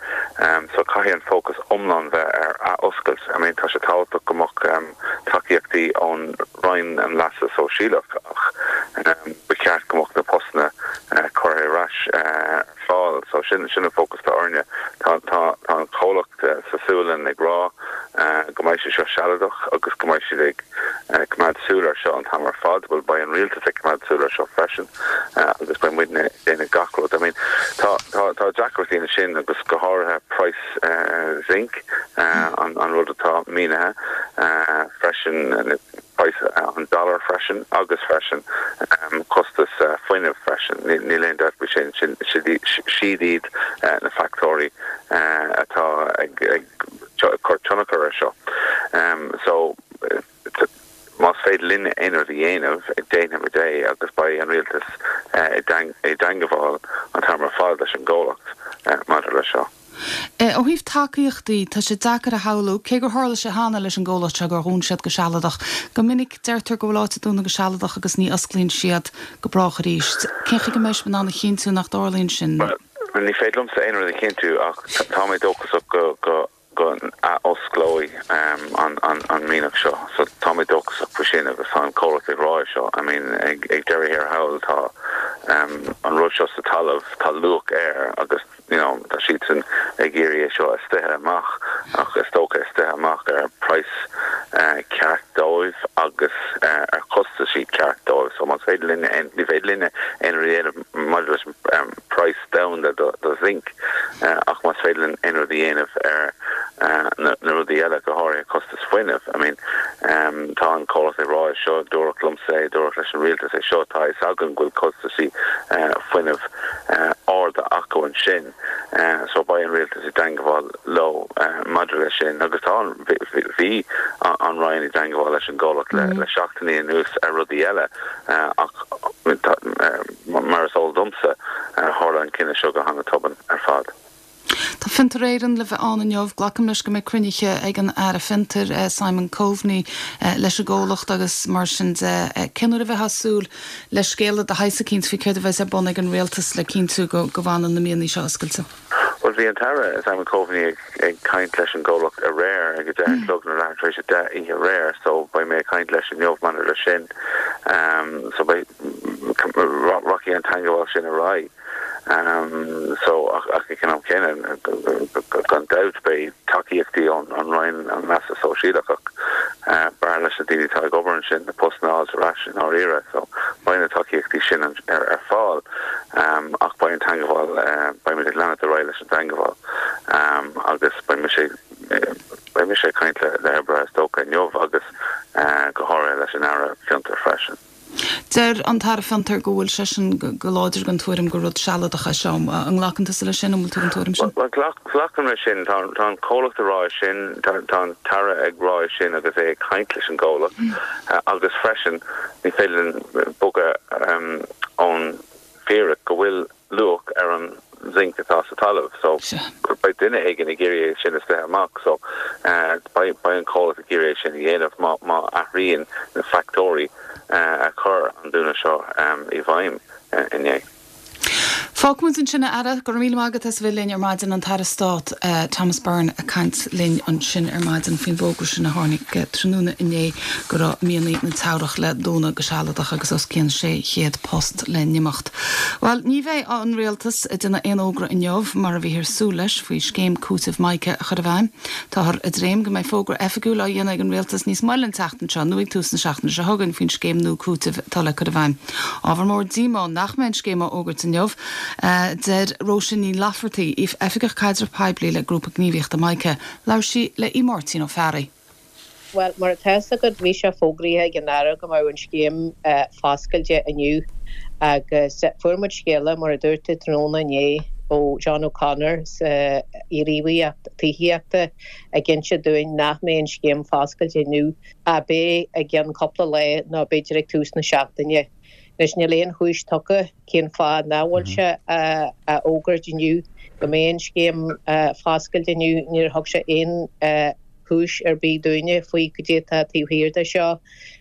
Speaker 8: So caithfidh an fócas iomlán bheith ar athoscailt. I mean tá sé tábhachtach go mbeadh tacaíochtaí ón Roinn an Leasa Sóisialach ach ba cheart go mbeadh na postanna curtha ar ais ar fáil. So sin sin an fócas atá orainne. Tá tá tá an comhlacht sa Sualainn ag rá go mbeidh sé seo sealadach agus go mbeidh siad ag coimeád súil air seo an t-am ar fad. Bhuel beidh an rialtas ag coimeád súil air seo freisin agus beidh muidne ag déanamh gach rud. I mean tá tá tá deacrachtaí ansin agus go háirithe praghas zinc an an rud atá mínithe freisin praghas an dollar freisin agus freisin costas fuinnimh freisin. Níl aon dabht faoi sin, sin siad iad na factóirí atá ag ag cur tionchar air seo. So más féidir linn aon rud a dhéanamh, déanfaimid é agus beidh an rialtas i dteangmháil an t-am ar fad leis an gcomhlacht maidir leis seo.
Speaker 1: Ó thaobh tacaíochtaí, tá sé deacair a shamhlú, cé gur tharla sé cheana leis an gcomhlacht seo gur dhún siad go sealadach. Go minic deirtear go bhfuil áit ag dúnadh go sealadach agus ní osclaíonn siad go brách arís. Cén chaoi go mbeidh sibh in ann a chinntiú nach dtarlaíonn sin?
Speaker 8: Bhuel, ní féidir liomsa aon rud a chinntiú ach tá mé dóchasach go go go n-athosclóidh an an mianach seo. So tá mé dóchasach faoi sin agus tá an comhlacht ag rá é seo. I mean ag ag deireadh thiar thall tá an rud seo sa talamh, tá luach air agus you know tá siadsan ag iarraidh é seo a stoitheadh amach ach is dócha é stoitheadh amach ar praghas ceart dóibh agus ar chostaisí ceart dóibh. So más féidir linne aon, ní féidir linne aon rud a dhéanamh maidir leis an praghas domhanda do do zinc ach más féidir linn aon rud a dhéanamh ar na na rudaí eile, go háirithe costas fuinnimh. I mean tá an comhlacht ag rá é seo, dúradh liomsa é, dúradh leis an rialtas é seo, tá a fhios againn go bhfuil costaisí fuinnimh arda acu ansin so beidh an rialtas i dteangmháil leo maidir leis sin agus tá an, bhí an Roinn i dteangmháil leis an gcomhlacht le seachtainí anuas ar rudaí eile ach mar is eol domsa tharla an cinneadh seo go han-tobann ar fad.
Speaker 1: Tá Fiontar Éireann le bheith ann inniu. Glacaim leis go mbeidh cruinnithe ag an Aire Fiontair, Simon Coveney, leis an gcomhlacht agus mar sin de. Cén uair a bheifeá ag súil le scéala de shaghas eicínt faoi céard a bheas ar bun ag an Rialtas le cinntiú go bhfanann na mianaigh seo oscailte?
Speaker 8: Bhuel, bhí an tAire Simon Coveney ag caint leis an gcomhlacht aréir ag a deich a chlog nó leathuair tar éis a deich oíche aréir so beidh mé ag caint leis inniu maidir leis sin. So beidh, rachaidh an teangmháil sin ar aghaidh. So ach ag an am céanna, gan dabht, beidh tacaíochtaí ón Roinn an Leasa Sóisialach ach b'fhearr leis na daoine atá ag obair ansin na postanna a fháil ar ais i ndáiríre. So beidh na tacaíochtaí sin ar ar fáil ach beidh an teagmháil, beidh muid ag leanacht ar aghaidh leis an teagmháil agus beidh mise beidh mise ag caint le le hoibrithe is dócha inniu agus go háirithe leis an Aire Fiontar freisin.
Speaker 1: Deir an tAire Fiontar go bhfuil seisean go láidir den tuairim gur rud sealadach é seo. An nglacann tusa leis sin? An bhfuil tú den tuairim sin?
Speaker 8: Bhuel, glacaim leis sin. Tá an comhlacht ag rá é sin, tá an tAire ag rá é sin agus é ag caint leis an gcomhlacht agus freisin ní féidir linn bogadh ón bhfíric go bhfuil luach ar an zinc atá sa talamh so beidh duine éigin ag iarraidh é sin a stoitheadh amach so beidh beidh an comhlacht ag iarraidh é sin a dhéanamh má má athraíonn na factóirí a chuir an dúnadh seo i bhfeidhm inné.
Speaker 1: Fágfaimid ansin, a Aire. Go raibh míle maith agat as a bheith linn ar maidin, an tAire Stáit Thomas Byrne ag caint linn ansin ar maidin faoin bhfógra sin a tháinig tráthnóna inné go raibh mianaigh na Teamhrach le dúnadh go sealadach agus os cionn sé chéad post le n-imeacht. Bhuel, ní bheidh an Rialtas ag déanamh aon fhógra inniu, mar a bhíthear súil leis, faoi scéim cúitimh Mica a chur i bhfeidhm. Táthar ag dréim go mbeidh fógra oifigiúil á dhéanamh ag an Rialtas níos moille an tseachtain seo nó ag tús na seachtaine seo chugainn faoin scéim nua cúitimh atá le cur i bhfeidhm. Ábhar mór díomá nach mbeidh an scéim á fhógairt inniu, a deir Róise Ní Laifeartaigh, Oifigeach Caidrimh Poiblí le Grúpa Gníomhaíochta Mica. Labhair sí le Aodh Máirtín Ó Fearraigh.
Speaker 9: Bhuel, mar atá fhios agat, bhí sé fógraithe ag an Aire go mbeadh an scéim foscailte inniu agus fuair muid scéala, mar a dúirt tú, tráthnóna inné ó John O'Connor sa Ghníomhaireacht Tithíochta ag inse dúinn nach mbeidh an scéim foscailte inniu ach beidh i gceann cúpla lá nó b'fhéidir ag tús na seachtaine. Anois níl aon chúis tugtha cén fáth nach bhfuil sé á fhógairt inniu go mbeidh an scéim foscailte inniu. Níor thug sé aon chúis ar bith dúinne faoi cad é atá taobh thiar de seo.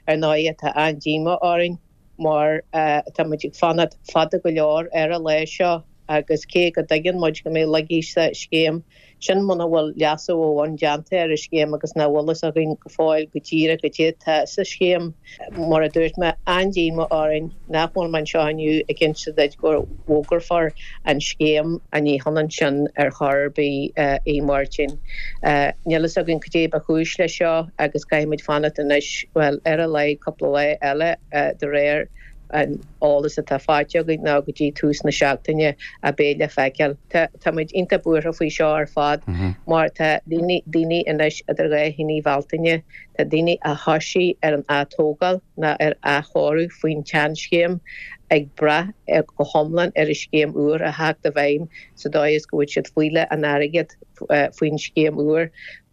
Speaker 9: Ar ndóigh tá an-díomá orainn mar tá muid ag fanacht fada go leor ar an lá seo agus cé go dtuigeann muid go mbeidh laigí sa scéim, Sin muna bhfuil leasú ó bhun déanta ar an scéim agus nach bhfuil fhios againn go fóill go díreach cad é atá sa scéim. Mar a dúirt mé, an-díomá orainn nach bhfuil mé anseo inniu ag inse duit go bhfógrófar an scéim. Ní hionann sin ar chor ar bith, a Mháirtín. Níl fhios againn cad é ba chúis leis seo agus caithfimid fanacht anois, bhuel, ar a laghad cúpla lá eile de réir an eolas atá faighte againn ná go dtí tús na seachtaine a beidh le feiceáil. Tá muid iontach buartha faoi seo ar fad mar tá daoine daoine anois idir dhá thine Bhealtaine, tá daoine a thosaigh ar an atógáil nó ar athchóiriú faoin tseanscéim ag brath go hiomlán ar an scéim úr a theacht i bhfeidhm sa dóigh is go bhfuil siad ag fáil an airgead faoin scéim úr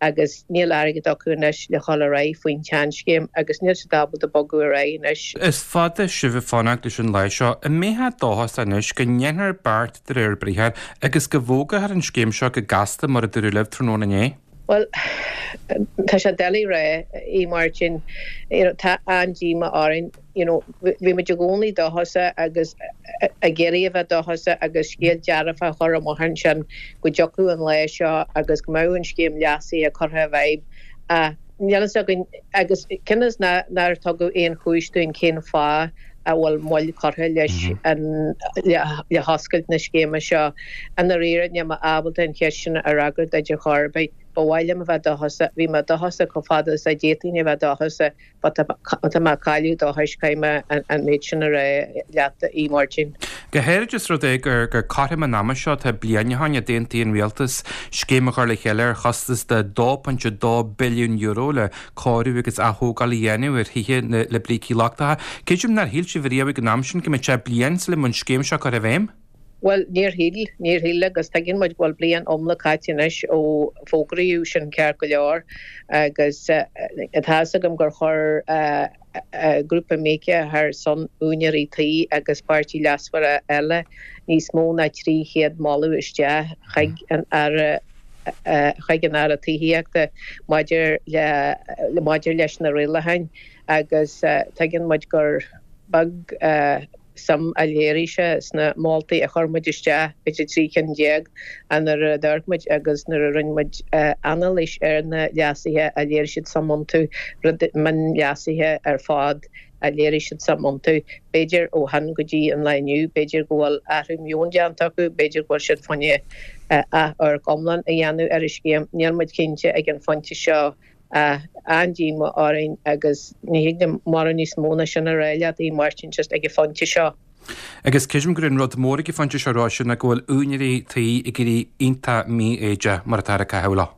Speaker 9: agus níl airgead acu anois le dhul ar aghaidh faoin tseanscéim agus níl siad ábalta bogadh ar aghaidh anois.
Speaker 10: Is fada sibh ag fanacht leis an lá seo. An mbeifeá dóchasach anois go ndéanfar beart de réir briathair agus go bhfógrófar an scéim seo go gasta mar a dúradh libh tráthnóna inné?
Speaker 9: Bhuel, tá sé doiligh a rá, a Mháirtín. You know, tá an-díomá orainn. You know, bhí muid i gcónaí dóchasach agus ag iarraidh a bheith dóchasach agus scéal dearfach a chur amach ansin go dtiocfadh an lá seo agus go mbeadh an scéim leasaithe curtha i bhfeidhm. Ach níl fhios againn agus cionn is nár tugadh aon chúis dúinn cén fáth a bhfuil moill curtha leis an le hoscailt na scéime seo. I ndáiríre níl mé ábalta an cheist sin a fhreagairt duit ar chor ar bith. Ba mhaith liom a bheith dóchasach. Bhí mé dóchasach chomh fada is a d'fhéadfainn a bheith dóchasach but tá mé ag cailleadh dóchais, caithfidh mé an méid sin a rá leat, a Mháirtín.
Speaker 10: Go háirid os rud é gur gur cothrom an ama seo atá bliain ó shin a d'aontaigh an Rialtas scéim a chur le chéile ar chostas de dó pointe dó billiún euro le cóiriú agus athógáil a dhéanamh ar thithe le brící lochtacha. Creidim nár shíl sibh riamh ag an am sin go mbeadh sé bliain sula mbeadh an scéim seo curtha i bhfeidhm?
Speaker 9: Bhuel, níor shíl, níor shíl agus tuigeann muid go bhfuil bliain iomlán caite anois ó fógraíodh sin ceart go leor agus tá fhios agam gur chuir grúpa Mica ar son úinéirí tí agus páirtithe leasmhara eile níos mó ná trí chéad moladh isteach chuig an Aire chuig an Aire Tithíochta maidir le maidir leis na rialacháin agus tuigeann muid gur beag suim a léirigh sé sna moltaí a chuir muid isteach, b'fhéidir trí cinn déag, nuair a d'amharc muid agus nuair a rinne muid anailís ar na leasuithe a léirigh siad suim iontu, rud mionleasuithe ar fad a léirigh siad suim iontu. B'fhéidir ó shin go dtí an lá inniu, b'fhéidir go bhfuil athrú meoin déanta acu, b'fhéidir go bhfuil siad fá choinne athamharc iomlán a dhéanamh ar an scéim. Níl muid cinnte ag an phointe seo ach an-díomá orainn agus ní thig liom mórán níos mó ná sin a rá leat, a Mháirtín, just ag an phointe seo.
Speaker 10: Agus creidim gur an rud mór ag an phointe seo a Róise ná go bhfuil úinéirí tí ag éirí iontach mífhoighdeach mar atá ag caitheamh leo.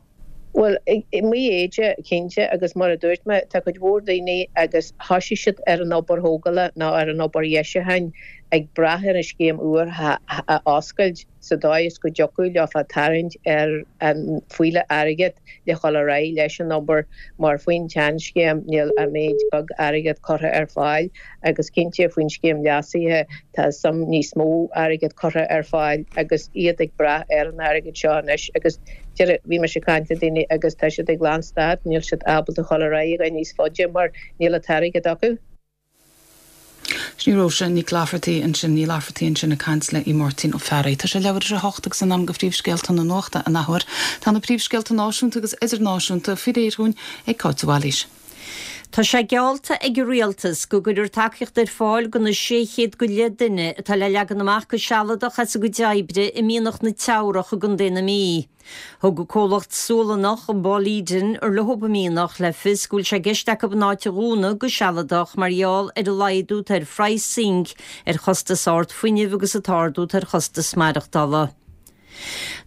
Speaker 9: Bhuel, mífhoighdeach, cinnte, agus mar a dúirt mé, tá cuid mhór daoine agus thosaigh siad ar an obair thógála nó ar an obair dheisiúcháin ag brath ar an scéim úr a oscailt sa dóigh is go dtiocfadh leofa tarraingt ar an fuílleach airgid le dhul ar aghaidh leis an obair mar faoin tseanscéim níl ach méid beag airgid curtha ar fáil agus cinnte faoin scéim leasaithe tá suim níos mó airgid curtha ar fáil agus iad ag brath ar an airgead seo anois agus Deireadh, bhí mise ag caint le daoine agus tá siad ag lánstad, níl siad ábalta dhul ar aghaidh níos faide mar níl an t-airgead acu.
Speaker 1: Sin í Róise Nic Laifeartaigh ansin, Ní Laifeartaigh ansin ag caint le Máirtín Ó Fearraigh. Tá sé leathuair tar éis a hocht agus in am do phríomhscéalta na nuachta an athuair. Tá na príomhscéalta náisiúnta agus idirnáisiúnta faoi réir dhúinn ag Cáit de Bhailís.
Speaker 2: Tá sé geallta ag an Rialtas go gcuirfear tacaíocht ar fáil do na sé chéad go leith duine atá le leagan amach go sealadach as a gcuid oibre i mianach na Teamhrach i gContae na Mí. Thug an comhlacht Sualannach Boliden ar leo an mianach le fios go bhfuil sé i gceist acu an áit a dhúnadh go sealadach mar gheall ar an laghdú atá ar phraghas zinc, ar chostas ard fuinnimh agus an t-ardú atá ar chostas maireachtála.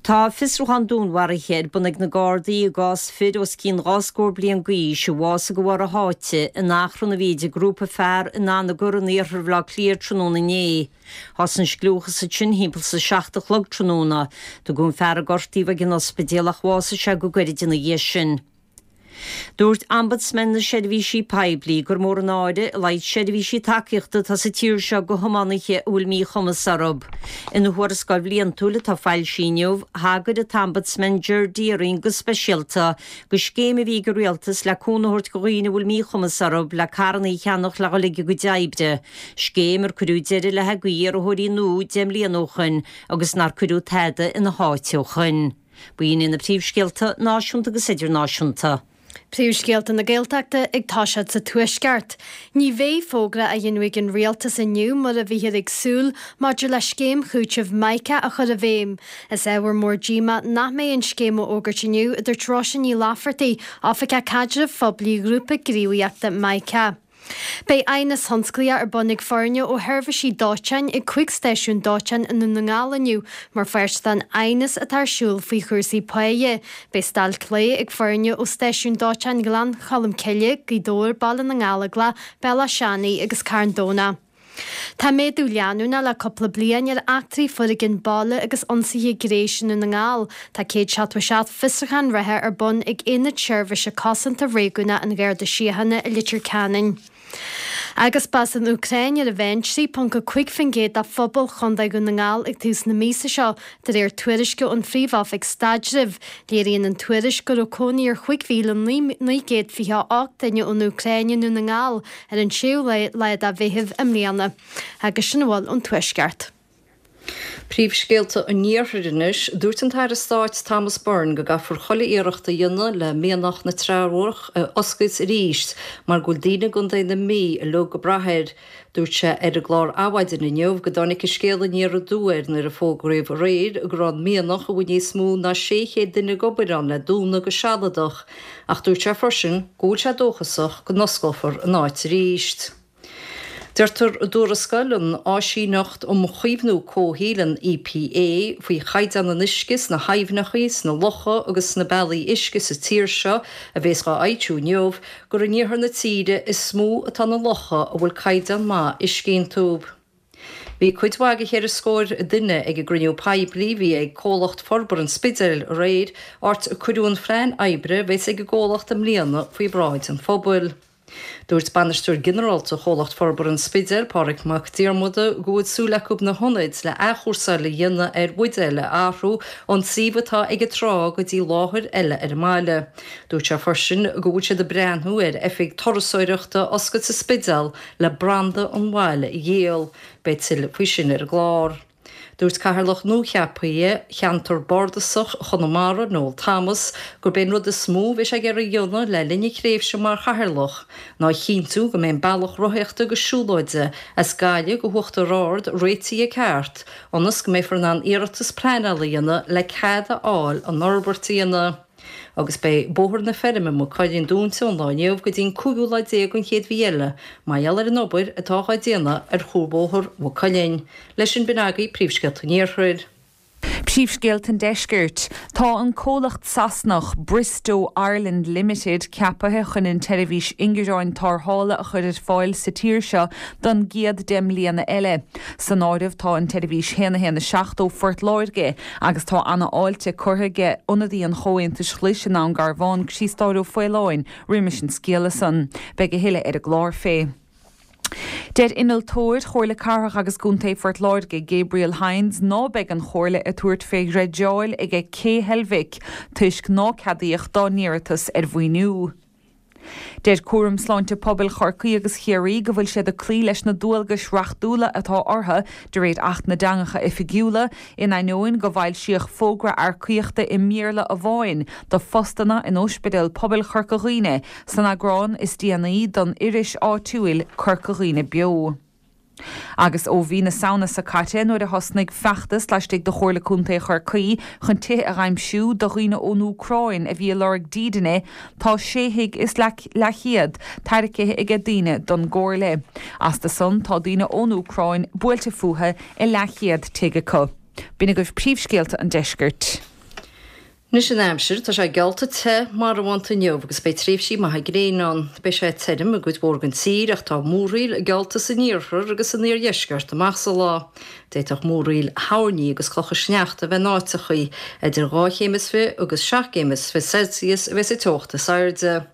Speaker 2: Tá fiosrúchán dúnmharaithe ar bun ag na Gardaí i gcás fir os cionn dhá scór bliain d'aois a bhásaigh de bharr a sháite in achrann a bhí idir grúpa fear in Anagaire in iarthar Bhaile Átha Cliath tráthnóna inné. Thosaigh an scliúchas ansin thimpeall is a seacht a chlog tráthnóna. Tugadh an fear a gortaíodh ag an ospidéal ach bhásaigh sé go gairid ina dhiaidh sin. Dúirt Ombudsman na Seirbhísí Poiblí gur mór an náire a laghad seirbhísí tacaíochta atá sa tír seo do thiománaithe a bhfuil míchumas orthu. Ina thuarascáil bhliantúil atá foilsithe inniu, thagair an tOmbudsman Ger Deering go speisialta do scéim a bhí ag an rialtas le cúnamh a thabhairt do dhaoine a bhfuil míchumas orthu le carranna a cheannach le dhul ag a gcuid oibre, scéim ar cuireadh deireadh léi d'iarrthóirí nua deich mbliana ó shoin agus nár cuireadh tada ina háit ó shoin. B'in iad na príomhscéalta náisiúnta agus idirnáisiúnta.
Speaker 3: Príomhscéalta na Gaeltachta ag toiseacht sa Tuaisceart. Ní bheidh fógra á dhéanamh ag an Rialtas inniu mar a bhíthear ag súil maidir le scéim chúitimh Mica a chur i bhfeidhm. Is ábhar mór díomá nach mbeidh an scéim á fhógairt inniu, a dúirt Róise Ní Laifeartaigh, Oifigeach Caidrimh Phoiblí Ghrúpa Gníomhaíochta Mica. Beidh aighneas thionsclaíoch ar bun ag foirne ó sheirbhísí dóiteáin ag cúig stáisiún dóiteáin i nDún na nGall inniu mar pháirt den aighneas atá ar siúl faoi chúrsaí páighe. Beidh stailc lae ag foirne ó stáisiúin dóiteáin Ghleann Cholm Cille, Gaoth Dobhair, Baile na nGallóglach, Béal Átha Seanaidh agus Carn Domhnach. Tá méadú leanúnach le cúpla bliain ar eachtraí foréigin baile agus ionsaithe gnéis i nDún na nGall. Tá céad seachtó a seacht fiosrúchán reatha ar bun ag Aonad Seirbhíse Cosanta Réigiúnach an Gharda Síochána i Leitir Ceanainn. Agus b'as an Úcráin ar a mheán trí ponc a cúig faoin gcéad de phobal Chontae Dhún na nGall ag tús na míosa seo, de réir tuairisce ón Phríomh-Oifig Staidrimh. Léiríonn an tuairisc go raibh cónaí ar chúig mhíle naoi gcéad fiche a hocht duine ón Úcráin i nDún na nGall ar an séú lá de Mheitheamh i mbliana. Agus sin a bhfuil ón Tuaisceart.
Speaker 4: Príomhscéalta an Iarthair anois. Dúirt an tAire Stáit Thomas Byrne go gcaithfear chuile iarracht a dhéanamh le mianach na Teamhrach a oscailt arís mar go bhfuil daoine i gContae na Mí uilig ag brath air. Dúirt sé ar an gclár Adhmhaidin inniu go dtáinig an scéal aniar aduaidh air nuair a fógraíodh aréir go raibh an mianach a bhfuil níos mó ná sé chéad duine ag obair ann le dúnadh go sealadach ach dúirt sé freisin go bhfuil sé dóchasach go n-osclófar an áit arís. Deirtear i dtuarascáil an Áisíneacht um Chaomhnú Comhshaoil, an EPA, faoi chaighdeán an uisce sna haibhneacha, sna locha agus sna bealaí uisce sa tír seo, a bhéas dhá fhoilsiú inniu, gur in iarthar na tíre is mó atá na locha a bhfuil caighdeán maith uisce iontu. Bhí cuid mhaith de cheithre scór duine ag an gcruinniú poiblí a bhí ag Comhlacht Forbartha an Spidéil aréir, áit a cuireadh an phlean oibre a bheas ag an gcomhlacht i mbliana faoi bhráid an phobail. Dúirt Bainisteoir Ginearálta Chomhlacht Forbartha an Spidéil, Pádraig Mac Diarmada, go bhfuil súil acu na hionaid le athchúrsáil a dhéanamh ar bhuidéil a athrú ón suíomh atá ag an trá go dtí láthair eile ar an mbaile. Dúirt sé freisin go bhfuil siad ag breathnú ar oifig turasóireachta a oscailt sa Spidéal le branda an bhaile a dhíol. Beidh tuilleadh faoi sin ar an gclár. Dúirt Cathaoirleach nuacheaptha Cheantar Bardasach Chonamara, Noel Thomas, gurb é an rud is mó a bheidh sé ag iarraidh a dhéanamh le linn a thréimhse mar Chathaoirleach ná a chinntiú go mbeidh an bealach rothaíochta agus siúlóide as Gaillimh go hUachtar Ard réitithe ceart ionas go mbeifear in ann iarratas pleanála a dhéanamh le cead a fháil an fhorbairt a dhéanamh. Agus beidh Bóthar na Feirme, Maigh Cuilinn dúnta ón lá inniu go dtí an cúigiú lá déag den chéad mhí eile mar gheall ar an obair atá á déanamh ar chuarbhóthar Mhaigh Cuilinn. Leis sin b'in agaibh príomhscéalta an Iarthair.
Speaker 5: Príomhscéalta an Deiscirt. Tá an comhlacht Sasanach Bristow Ireland Limited ceapaithe chun an tseirbhís ingearáin tarrthála a chur ar fáil sa tír seo don gcéad deich mbliana eile. San áireamh tá an tseirbhís haon a haon a seacht ó Phort Láirge agus tá ana-fháilte curtha aige ionadaí an Chomhaontais Ghlais i nDún Garbhán, Criostóir Ó Faoláin, roimis an scéala san. Beidh a thuilleadh ar an gclár fé. Deir innealtóir Chomhairle Cathrach agus Contae Phort Láirge, Gabriel Hynes, ná beidh an Chomhairle ag tabhairt fé dhreideáil aige Cé Heilbhic toisc ná ceadaíodh dá n-iarratas ar mhaoiniú. Deir Cúram Sláinte Pobail Chorcaí agus Chiarraí go bhfuil siad ag cloí leis na dualgais reachtúla atá orthu de réir Acht na dTeangacha Oifigiúla, in ainneoin go bhfoilsíodh fógra earcaíochta i mBéarla amháin do phostanna in Ospidéal Pobail Chorca Dhuibhne san eagrán is déanaí den iris áitiúil Corca Dhuibhne Beo. Agus ó mhí na Samhna seo caite, nuair a thosnaigh feachtas laistigh de Chomhairle Contae Chorcaí chun tithe a aimsiú do dhaoine ón Úcráin a bhí ag lorg dídine, tá sé thigh is leathchéad tairgthe aige daoine don gComhairle. Astu san, tá daoine ón Úcráin buailte fúthu i leathchéad tigh acu. B'in agaibh príomhscéalta an deiscirt.
Speaker 4: Anois an aimsir, tá sé geallta te marbhánta inniu agus beidh tréimhsí maithe gréine ann. Beidh sé tirim i gcuid mhór den tír ach tá múraíl geallta san iarthar agus san iardheisceart amach sa lá. D'fhéadfadh múraíl thoirní agus clocha sneachta a bheith in áiteachaí. Idir dhá chéim is fiche agus seacht gcéim is fiche Celsius a bheas an teocht is airde.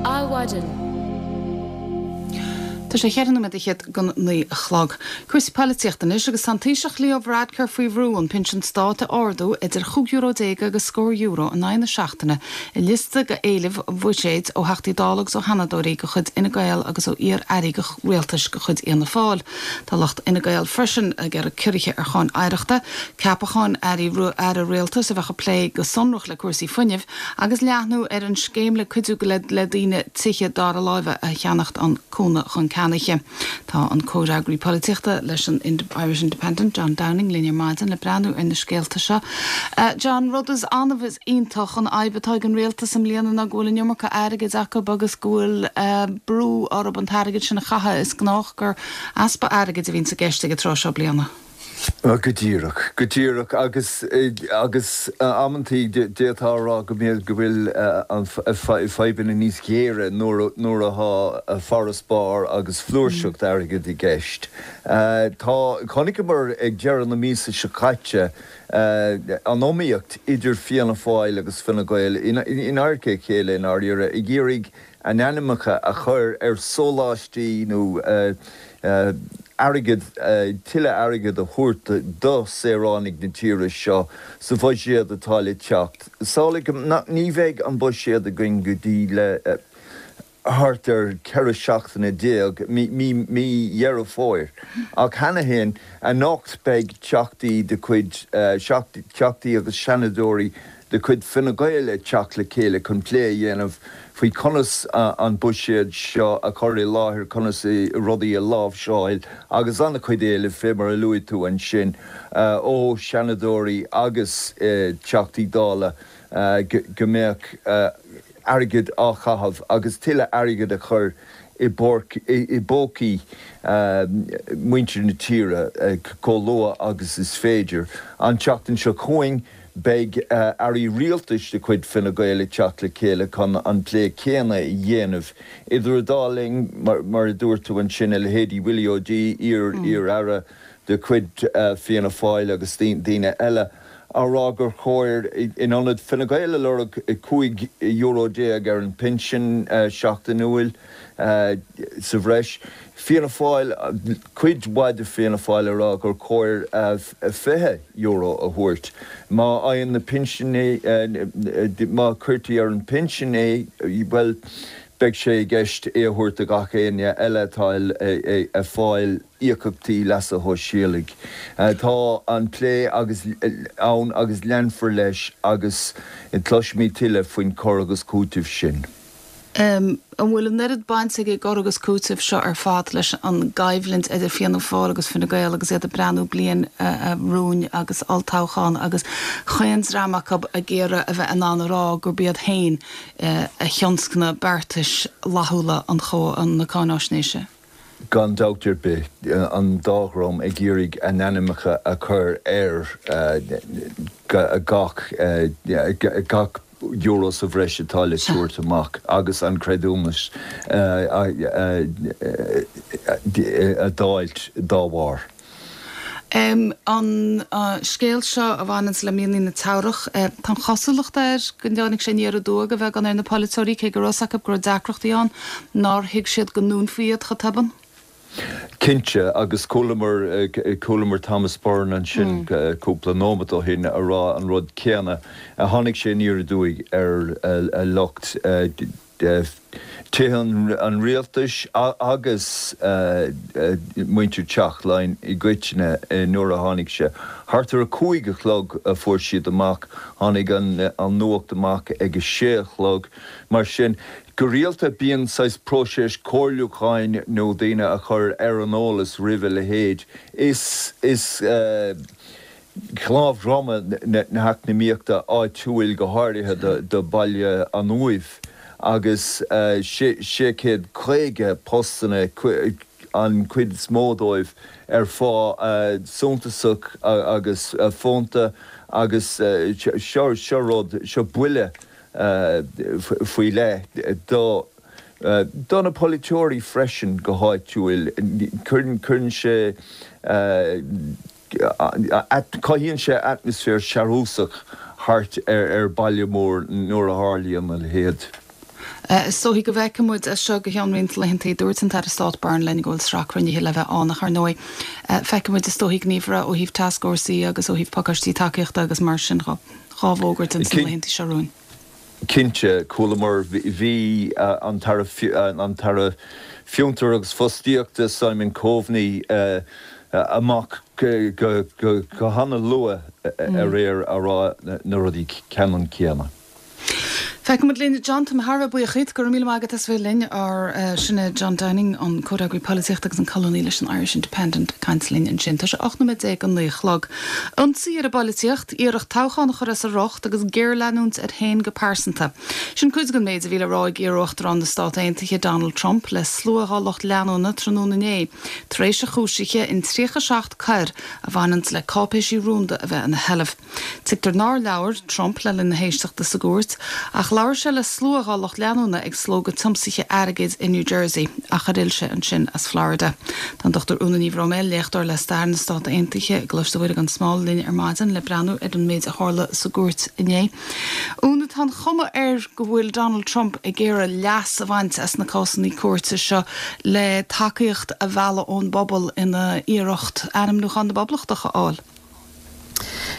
Speaker 1: Adhmhaidin. Tá sé cheithre nóiméad fhichead go naoi a chlog. Cúrsaí polaitíochta anois agus tá an Taoiseach Leo Varadkar faoi bhrú an pinsean stáit a ardú idir chúig euro déag agus scór euro in aghaidh na seachtaine i liosta de éilimh bhuiséid ó Theachtaí Dála agus ó Sheanadóirí de chuid Fhine Gael agus ó iar-airí rialtais de chuid Fhianna Fáil. Tá lucht Fhine Gael freisin ag iarraidh ciorruithe ar cháin oidhreachta, ceapacháin airí aire rialtais a bheadh ag plé go sonrach le cúrsaí fuinnimh agus leathnú ar an scéim le cuidiú le daoine tithe dara láimhe a cheannacht, an Cúnamh chun Ceannaithe. Tá an comhfhreagraí polaitíochta leis an Irish Independent, John Downing, linn ar maidin le breathnú ar na scéalta seo. John, rud is annamh is iontach an fhadhb atá ag an rialtas i mbliana ná go bhfuil an iomarca airgid acu agus go bhfuil brú orthu an t-airgead sin a chaitheamh. Is gnách gur easpa airgid a bhíonns i gceist ag an tráth seo bliana.
Speaker 11: Go díreach, go díreach agus agus amantaí d'fhéadfá a rá go mbíonn go bhfuil an fadhbanna níos géire nuair nuair atá farasbarr agus flúirseacht airgid i gceist. Tá chonaiceamar ag deireadh na míosa seo caite an iomaíocht idir Fianna Fáil agus Fine Gael in adharca a chéile i ndáiríre ag iarraidh a n-ainmneacha a chur ar sóláistí nó airgead, tuilleadh airgid a thabhairt do saoránaigh na tíre seo sa bhuiséad atá le teacht. Samhlaigh, ní bheidh an buiséad againn go dtí le thart ar ceithre seachtaine déag, mí Dheireadh Fómhair, ach cheana féin anocht beidh teachtaí de chuid, teachtaí agus seanadóirí de chuid Fine Gael ag teacht le chéile chun plé a dhéanamh faoi conas an buiséad seo a chur i láthair, conas rudaí a láimhseáil agus an-chuid éilimh, fé mar a luaigh tú ansin, ó Sheanadóirí agus Teachtaí Dála go mbeadh airgead á chaitheamh agus tuilleadh airgid a chur i bpócaí muintir na tíre chomh luath agus is féidir. An tseachtain seo chugainn beidh airí rialtais de chuid Fine Gael ag teacht le chéile chun an plé céanna a dhéanamh. Idir an dá linn, mar a dúirt tú ansin, a leithéidí Willie O'Dea, iar-aire de chuid Fianna Fáil agus daoine eile. á rá gur chóir, in ionad Fine Gael a lorg cúig euro déag ar an bpinsean seachtainiúil sa bhreis, Fianna Fáil, cuid mhaith de Fianna Fáil ag rá gur chóir fiche euro a thabhairt. Má fhaigheann na pinsin é, má cuirtí ar an bpinsean é, bhuel, beidh sé i gceist é a thabhairt do gach éinne eile atá ag fáil íocaíochtaí leasa shóisialaigh. Tá an plé agus ann agus leanfar leis agus cloisfimid tuilleadh faoin cur agus cúiteamh sin.
Speaker 1: An bhfuil an oiread baint ag an gcur agus cúiteamh seo ar fad leis an gcoimhlint idir Fianna Fáil agus Fine Gael agus iad ag breathnú bliain romhainn agus olltoghchán agus chaon dream acu ag iarraidh a bheith in ann a rá gurb iad féin a thionscnaigh beartais fhlaithiúla an na cáináisnéise?
Speaker 11: Gan dabht ar bith, an dá dhream ag iarraidh a n-ainmneacha a chur ar gach gach euro sa bhreis atá le tabhairt amach agus an creidiúnas a d'fháilt dá bharr.
Speaker 1: An scéal seo a bhaineanns le mianaigh na Teamhrach, tá an chosúlacht air go dtáinig sé aniar aduaidh a bheagán ar na polaiteoirí, cé go raibh 's acu go raibh deacrachtaí ann, nár thuig siad go ndúnfaí iad chomh tobann.
Speaker 11: Cinnte, agus chualamar, chualamar Thomas Byrne ansin cúpla nóimeat ó shin a rá an rud céanna. Tháinig sé aniar aduaidh ar lucht Tithe an Rialtais agus muintir Teach Laighean i gcoitinne nuair a tháinig sé. Thart ar a cúig a chlog a fuair siad amach. Tháinig an nuacht amach ag a sé a chlog. Mar sin, go rialta bíonn saghas próiseas comhairliúcháin nó daoine a chur ar an eolas roimh a leithéid. Is, is. cnámh droma na heacnamaíochta áitiúil, go háirithe do Bhaile an Uaimh, agus sé chéad caoga postanna, an chuid is mó dóibh ar phá suntasach agus fónta, agus seo seo rud, seo buille faoi leith do do na polaiteoirí freisin go háitiúil. Cuireann sé. Cothaíonn sé atmaisféar searúsach thart ar baile mór nuair a tharlaíonn a leithéid.
Speaker 1: Is dóichí go bhfeicfidh muid as seo go ceann roinnt laethanta. Dúirt an tAire Stáit Byrne linn go bhfuil sraith cruinnithe le bheith ann ach ar ndóigh feicfidh muid is dóichí gníomhartha ó thaobh tascfhórsaí agus ó thaobh pacáistí tacaíochta agus mar sin dhá bhfógairt ins na laethanta seo romhainn.
Speaker 11: Cinnte, chualamar, bhí an tAire Fiontar agus Fostaíochta Simon Coveney amach go hana-luath aréir a rá na rudaí ceannann céanna.
Speaker 1: Feicfidh muid linn. John, tá mé thar a bheith buíoch díot. Go raibh míle maith agat as bheith linn. Ár, sin é John Downing, an comhfhreagraí polaitíochta agus an colúnaí leis an Irish Independent ag caint linn ansin. Tá sé ocht nóiméad déag go naoi a chlog. Ionsaí ar an bpolaitíocht, iarracht toghchán a chur as a riocht agus géarleanúint air féin go pearsanta. Sin cuid den méid a bhí le rá ag iar-uachtarán na Stát Aontaithe Donald Trump le slua dá lucht leanúna tráthnóna inné tar éis a chúisithe in tríocha seacht coir a bhaineanns le cáipéisí rúnda a bheith ina sheilbh. Tuigtear nár labhair Trump le linn na héisteachta sa gcúirt, ach labhair sé le slua dá lucht leanúna ag slógadh tiomsaithe airgid i New Jersey ach ar fhill sé ansin as Florida. Tá an Dochtúir Úna Ní Bhroiméil, léachtóir le Stair na Stát Aontaithe i gColáiste Mhuire gan Smál, linn ar maidin le breathnú ar an méid a tharla sa gcúirt inné. Úna, tá an chuma air go bhfuil Donald Trump ag iarraidh leas a bhaint as na cásanna cúirte seo le tacaíocht a mhealladh ón bpobal ina iarracht ainmniúchán na bPoblachtach a fháil.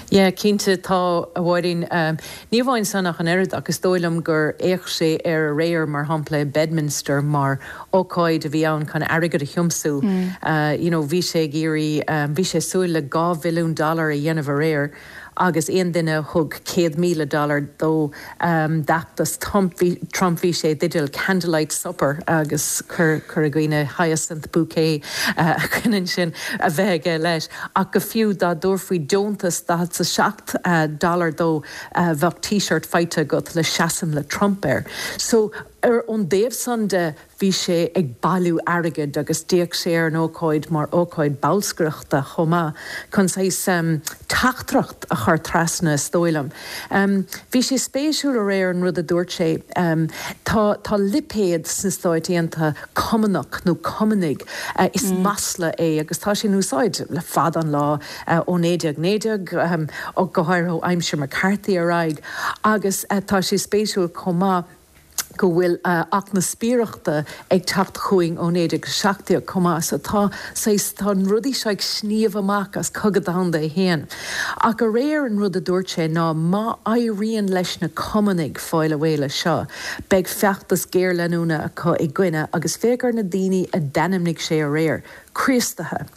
Speaker 12: Yeah, cinnte tá, a Mháirín. Ní amháin san ach an oiread, ach is dóigh liom gur fhéach sé air aréir, mar shampla, i Bedminster mar ócáid a bhí ann chun airgead a thiomsú. You know, bhí sé ag iarraidh, bhí sé ag súil le dhá mhilliún dollar a dhéanamh aréir agus aon duine a thug céad míle dollar dó d'fheachtas Trump, Trump bhí sé i dteideal candlelight supper agus chuir chuir dhaoine hyacinth bouquet chun ansin a bheith aige leis. Ach go fiú dá dtabharfaí deontas daichead is a seacht dollar dó bheadh T-shirt faighte agat le seasaim le Trump air. So ar ón dtaobh san de bhí sé ag bailiú airgid agus d'fhéach sé ar an ócáid mar ócáid bolscaireachta chomh maith chun saghas teachtaireacht a chur trasna is dóigh liom. Bhí sé spéisiúil aréir an rud a dúirt sé. Tá tá lipéad sna Stáit Aontaithe cumannach nó cumannaigh, is masla é agus tá sé in úsáid le fada an lá ó naoi déag naoi déag, go háirithe ó aimsir McCarthy ar aghaidh agus tá sé spéisiúil chomh maith go bhfuil Acht na Spiaireachta ag teacht chugainn ó naoi déag a seacht déag chomh maith. So tá saghas, tá na rudaí seo ag sníomh amach as Cogadh Domhanda a haon. Ach aréir an rud a dúirt sé ná má éiríonn leis na Cumannaigh fáil réidh leis seo, beidh feachtas géarleanúna acu i gcoinne agus féach ar na daoine a d'ainmnigh sé aréir, Críostaithe,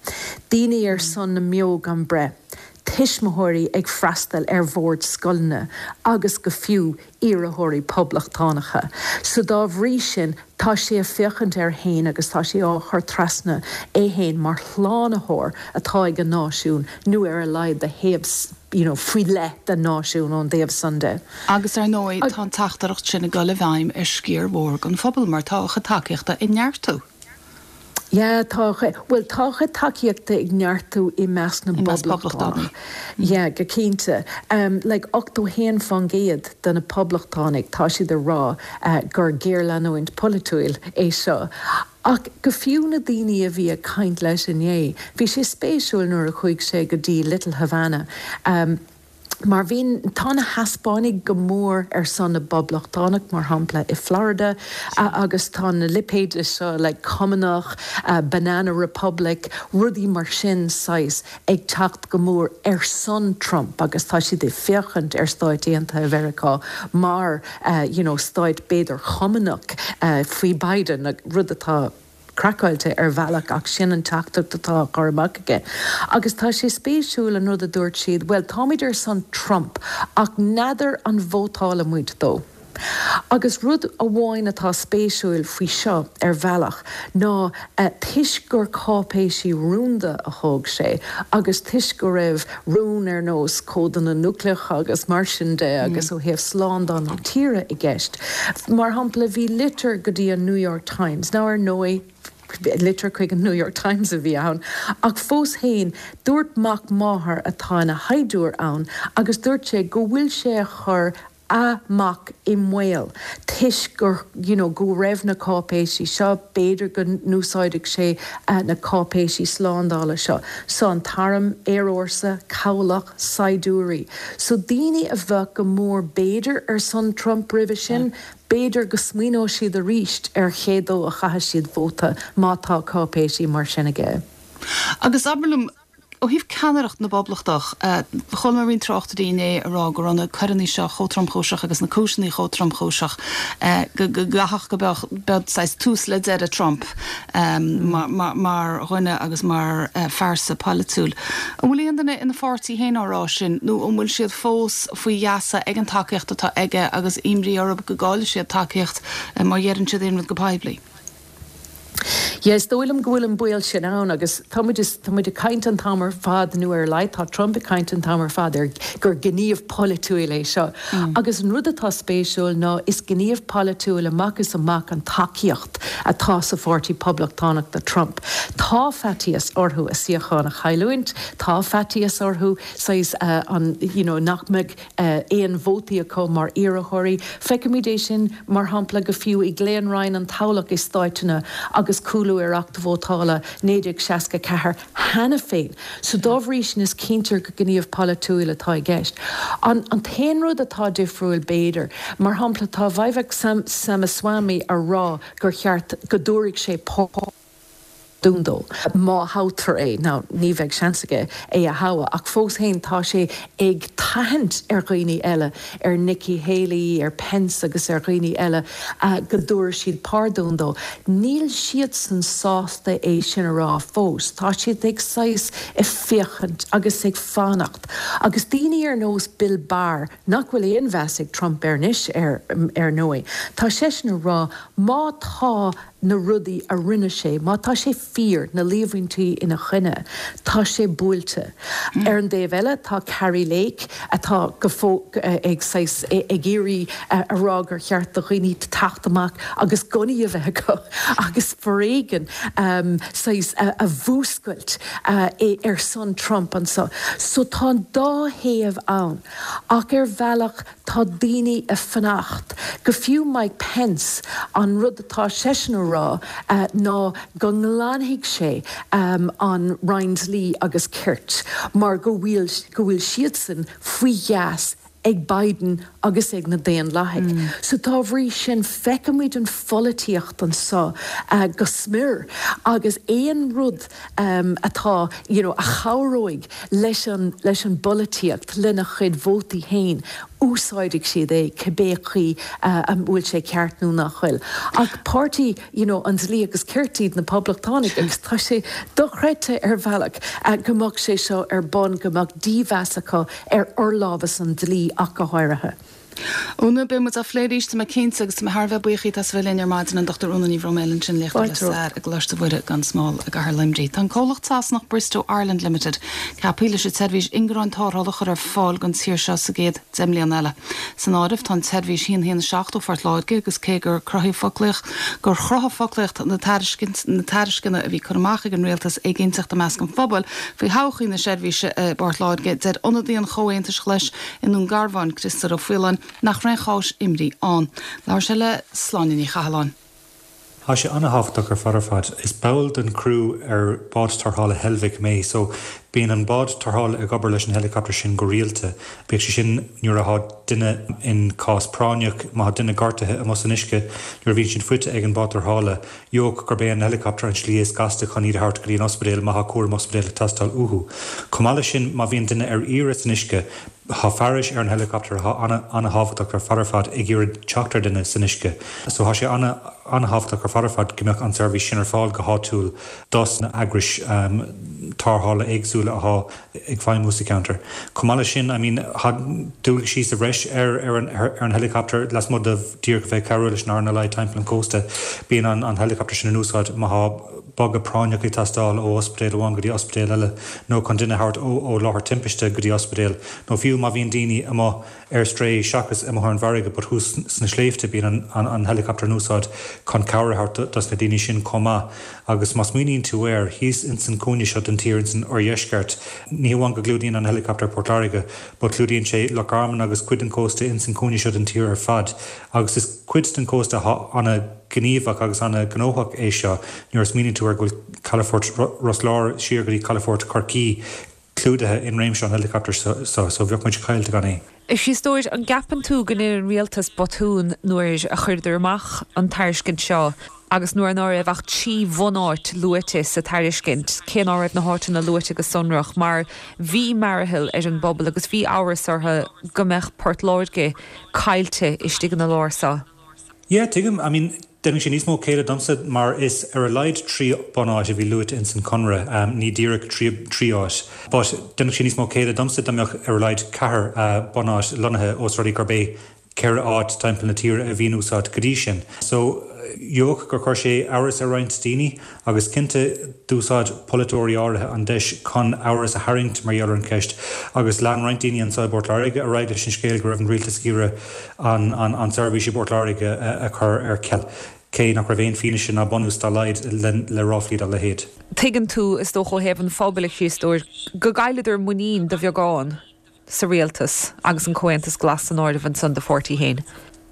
Speaker 12: daoine ar son na mbeo gan breith, tuismitheoirí ag freastal ar bhoird scoileanna agus go fiú iarrthóirí poblachtánacha. So dá bhrí sin tá sé ag féachaint air fhéin agus tá sé á chur trasna é fhéin mar shlánaitheoir atá ag an náisiún nó ar a laghad do thaobh you know faoi leith den náisiún ón dtaobh san de.
Speaker 1: Agus ar ndóigh tá an teachtaireacht sin ag dul i bhfeidhm ar sciar mhór den phobal mar tá a chuid tacaíochta ag neartú.
Speaker 12: Yeah, tá a chuid, bhuel, tá a chuid tacaíochta ag neartú i measc na bPoblachtánach. Yeah, go cinnte. Like ochtó haon fán gcéad de na Poblachtánaigh, tá siad ag rá gur géarleanúint polaitiúil é seo. Ach go fiú na daoine a bhí ag caint leis inné, bhí sé spéisiúil nuair a chuaigh sé go dtí Little Havana, Mar bhí, tá na Heaspáinigh go mór ar son na bPoblachtánach, mar shampla i Florida, agus tá na lipéid seo like Cumannach, Banana Republic, rudaí mar sin saghas ag teacht go mór ar son Trump agus tá siad ag féachaint ar Stáit Aontaithe Mheiriceá mar you know stáit b'fhéidir Chumannach faoi Biden, rud atá. craiceáilte ar bhealach ach sin an teachtaireacht atá á cur amach aige. Agus tá sé spéisiúil an rud a dúirt siad, bhuel táimid ar son Trump ach n'fheadar an vótálfaidh muid dó. Agus rud amháin atá spéisiúil faoi seo ar bhealach ná toisc gur cáipéisí rúnda a thóg sé agus toisc go raibh rún ar nós códanna núicléacha agus mar sin de agus ó thaobh slándáil na tíre i gceist. Mar shampla bhí litir go dtí an New York Times. Now ar ndóigh litir chuig an New York Times a bhí ann, ach fós féin dúirt mac máthar atá ina shaighdiúir ann agus dúirt sé go bhfuil sé a chur a mhac i mbaol toisc gur you know go raibh na cáipéisí seo, b'fhéidir go n-úsáidfeadh sé na cáipéisí slándála seo. So an t-arm, aerfhórsa, cabhlach, saighdiúirí. So daoine a bheadh go mór b'fhéidir ar son Trump roimhe sin, b'fhéidir go smaoineoidh siad arís ar cé dó a chaithfidh siad vóta má tá cáipéisí mar sin aige.
Speaker 1: Agus abair liom, ó thaobh ceannaireacht na bPoblachtach, chuala mé roinnt tráchtairí inné ag rá go raibh na coireanna seo chomh tromchúiseach agus na cúiseanna chomh tromchúiseach go gcaithfeadh go mbeadh beadh saghas tús le deireadh Trump mar dhuine agus mar phearsa polaitiúil. An bhfuil aon duine ina pháirtí féin á rá sin nó an bhfuil siad fós faoi gheasa ag an tacaíocht atá aige agus imní orthu go gcaillfidh siad tacaíocht má dheireann siad aon rud go poiblí?
Speaker 12: Yeah, is dóigh liom go bhfuil an baol sin ann agus tá muid, tá muid ag caint an t-am ar fad, nó ar a laghad tá Trump ag caint an t-am ar fad ar gur gníomh polaitiúil é seo. Agus an rud atá spéisiúil ná is gníomh polaitiúil amach is amach an tacaíocht atá sa Pháirtí Poblachtánach do Trump. Tá faitíos orthu a suíochán a chailliúint, tá faitíos orthu saghas an, you know, nach mbeidh aon vótaí acu mar iarrthóirí. Feicimid é sin, mar shampla, go fiú i gclaonroinn an toghlach i stáiteanna agus cúlú ar Acht Vótála naoi déag seasca a ceathair cheana féin. So dá bhrí sin is cinnte gur gníomh polaitiúil atá i gceist. An t-aon rud atá difriúil b'fhéidir, mar shampla tá Vivek Ramaswamy a rá gur cheart go dtabharfaidh sé pardún dó má thoghtar é. Now, ní bheidh seans aige é a thoghadh, ach fós féin tá sé ag tathant ar dhaoine eile, ar Nikki Haley, ar Pence agus ar dhaoine eile, go dtabharfaidh siad pardún dó. Níl siadsan sásta é sin a rá fós. Tá siad ag saghas ag féachaint agus ag fanacht. Agus daoine ar nós Bill Barr, nach bhfuil aon mheas ag Trump air anois ar ndóigh, tá seisean ag rá má tá na rudaí a rinne sé, má tá sé fíor, na líomhaintí ina choinne, tá sé buailte. Ar an dtaobh eile, tá Kari Lake, atá go ag saghas ag iarraidh a rá gur cheart do dhaoine teacht amach agus gunnaí a bheith acu agus foréigean saghas a mhúscailt ar son Trump anseo. So tá an dá thaobh ann. Ach ar bhealach tá daoine ag fanacht. Go fiú Mike Pence, an rud atá seisean a rá ná go nglanfaidh sé an Roinn Dlí agus Cirt mar go bhfuil go bhfuil siadsan faoi gheasa ag Biden agus ag na Daonlathaigh. So dá bhrí sin feicimid an pholaitíocht anseo go smior agus aon rud atá you know a chabhróidh leis an leis an bpolaitíocht, lena chuid vótaí féin, úsáidfidh siad é cibé chaoi an bhfuil sé ceart nó nach bhfuil. Ach páirtí you know an dlí agus cirt iad na Poblachtánaigh agus tá sé dochreidte ar bhealach go mbeadh sé seo ar bun, go mbeadh dímheas acu ar fhorlámhas an dlí ach go háirithe.
Speaker 1: Úna, beidh muid á phlé arís, tá mé cinnte, agus tá mé thar a bheith buíoch díot as a bheith linn ar maidin, an Dochtúir Úna Ní Bhroiméil ansin, léachtóir le stair i gColáiste Mhuire gan Smál i gCathair Luimnigh. Tá an comhlacht Sasanach Bristow Ireland Limited ceaptha leis an tseirbhís ingearáin tarrthála a chur ar fáil don tír seo sa gcéad deich mbliana eile. San áireamh tá an tseirbhís a haon haon a seacht ó Phort Láirge agus cé gur cruthaíodh foclaíocht gur chruthaigh foclaíocht na na tairisceana a bhí curtha amach ag an rialtas éiginnteacht i measc an phobail faoi thodhchaí na seirbhíse i bPort Láirge, deir ionadaí an Chomhaontais Ghlais i nDún Garbhán, Criostóir Ó Faoláin, nach raibh aon chúis imní ann. Labhair sé le Sláine Ní Chathalláin.
Speaker 13: Tá sé an-thábhachtach ar fad ar fad. Is ball den chriú ar bád tarrthála Heilbhic mé, so bíonn an bád tarrthála ag obair leis an helicopter sin go rialta. Bíodh sé sin nuair atá duine in cás práinneach, má tá duine gortaithe amuigh san uisce, nuair a bhíonn siad faighte ag an bád tarrthála, gheobhaidh gurb é an helicopter an slí is gasta chun iad a thabhairt go dtí an ospidéal má tá cúram ospidéil ag teastáil uathu. Chomh maith leis sin, má bhíonn duine ar iarraidh san uisce, Tá fearais ar an helicopter atá an-an-thábhachtach ar fad ar fad ag iarraidh teacht ar duine san uisce. So tá sé an-an-thábhachtach ar fad ar fad go mbeadh an seirbhís sin ar fáil go háitiúil dos na heagrais tarrthála éagsúla atá ag feidhmiú sa cheantar. Chomh maith leis sin, I mean tá dualgaisí sa bhreis ar ar an ar an helicopter lasmuigh de díreach a bheith ag cabhrú leis an R N L I timpeall an chósta. Bíonn an an helicopter sin in úsáid má tá bogadh práinneach ag teastáil ó ospidéal amháin go dtí ospidéal eile nó chun duine a thabhairt ó ó láthair timpiste go dtí ospidéal nó fiú má bhíonn daoine amuigh ar strae seachas amuigh ar an bhfarraige but thuas sna sléibhte bíonn an an an helicopter in úsáid chun cabhair a thabhairt dos na daoine sin chomh maith. Agus má smaoiníonn tú air, thíos ins an cúinne seo den tír ins an oirdheisceart, ní hamháin go gclúdaíonn an helicopter Port Láirge but clúdaíonn sé Loch Garman agus cuid den chósta ins an cúinne seo den tír ar fad agus is cuid den chósta atá ana gníomhach agus an-ghnóthach é seo nuair a smaoiníonn tú air go bhfuil calafort Ros Láir siar go dtí calafort Chorcaí clúdaithe in réimse an helicopter seo, so bheadh muid caillte gan é.
Speaker 5: A Chriostóir, an gceapann tú go ndearna an rialtas botún nuair a chuireadar amach an tairiscint seo agus nuair ná raibh ach trí bhunáit luaite sa tairiscint, cé ná raibh na háiteanna luaite go sonrach, mar bhí mearathall ar an bpobal agus bhí amhras orthu go mbeadh Port Láirge caillte istigh ina lár seo?
Speaker 13: Yeah, tuigim. I mean, déanann sé níos mó céille domsa mar is ar a laghad trí bunáit a bhí luaite ins an conradh, ní díreach trí trí áit. But déanann sé níos mó céille domsa dá mbeadh ar a laghad ceathair bunáit lonnaithe ós rud é gurb é ceithre áit timpeall na tíre a bhí in úsáid go dtí sin. So, gheobhadh gur chuir sé amhras ar roinnt daoine agus cinnte d'úsáid polaiteoirí áirithe an deis chun amhras a tharraingt mar gheall ar an cheist agus lean roinnt daoine anseo i bPort Láirge ar aghaidh leis an scéal go raibh an rialtas ag iarraidh an an tseirbhís i bPort Láirge a chur ar ceal, cé nach raibh aon fianaise ná bunús dá laghad le ráflaí dá leithéid.
Speaker 5: Tuigeann tú, is dócha ó thaobh an phobail, a Chriostóir, go gcailleadar muinín de bheagán sa rialtas agus an Comhaontas Glas san áireamh ansan do pháirtí féin.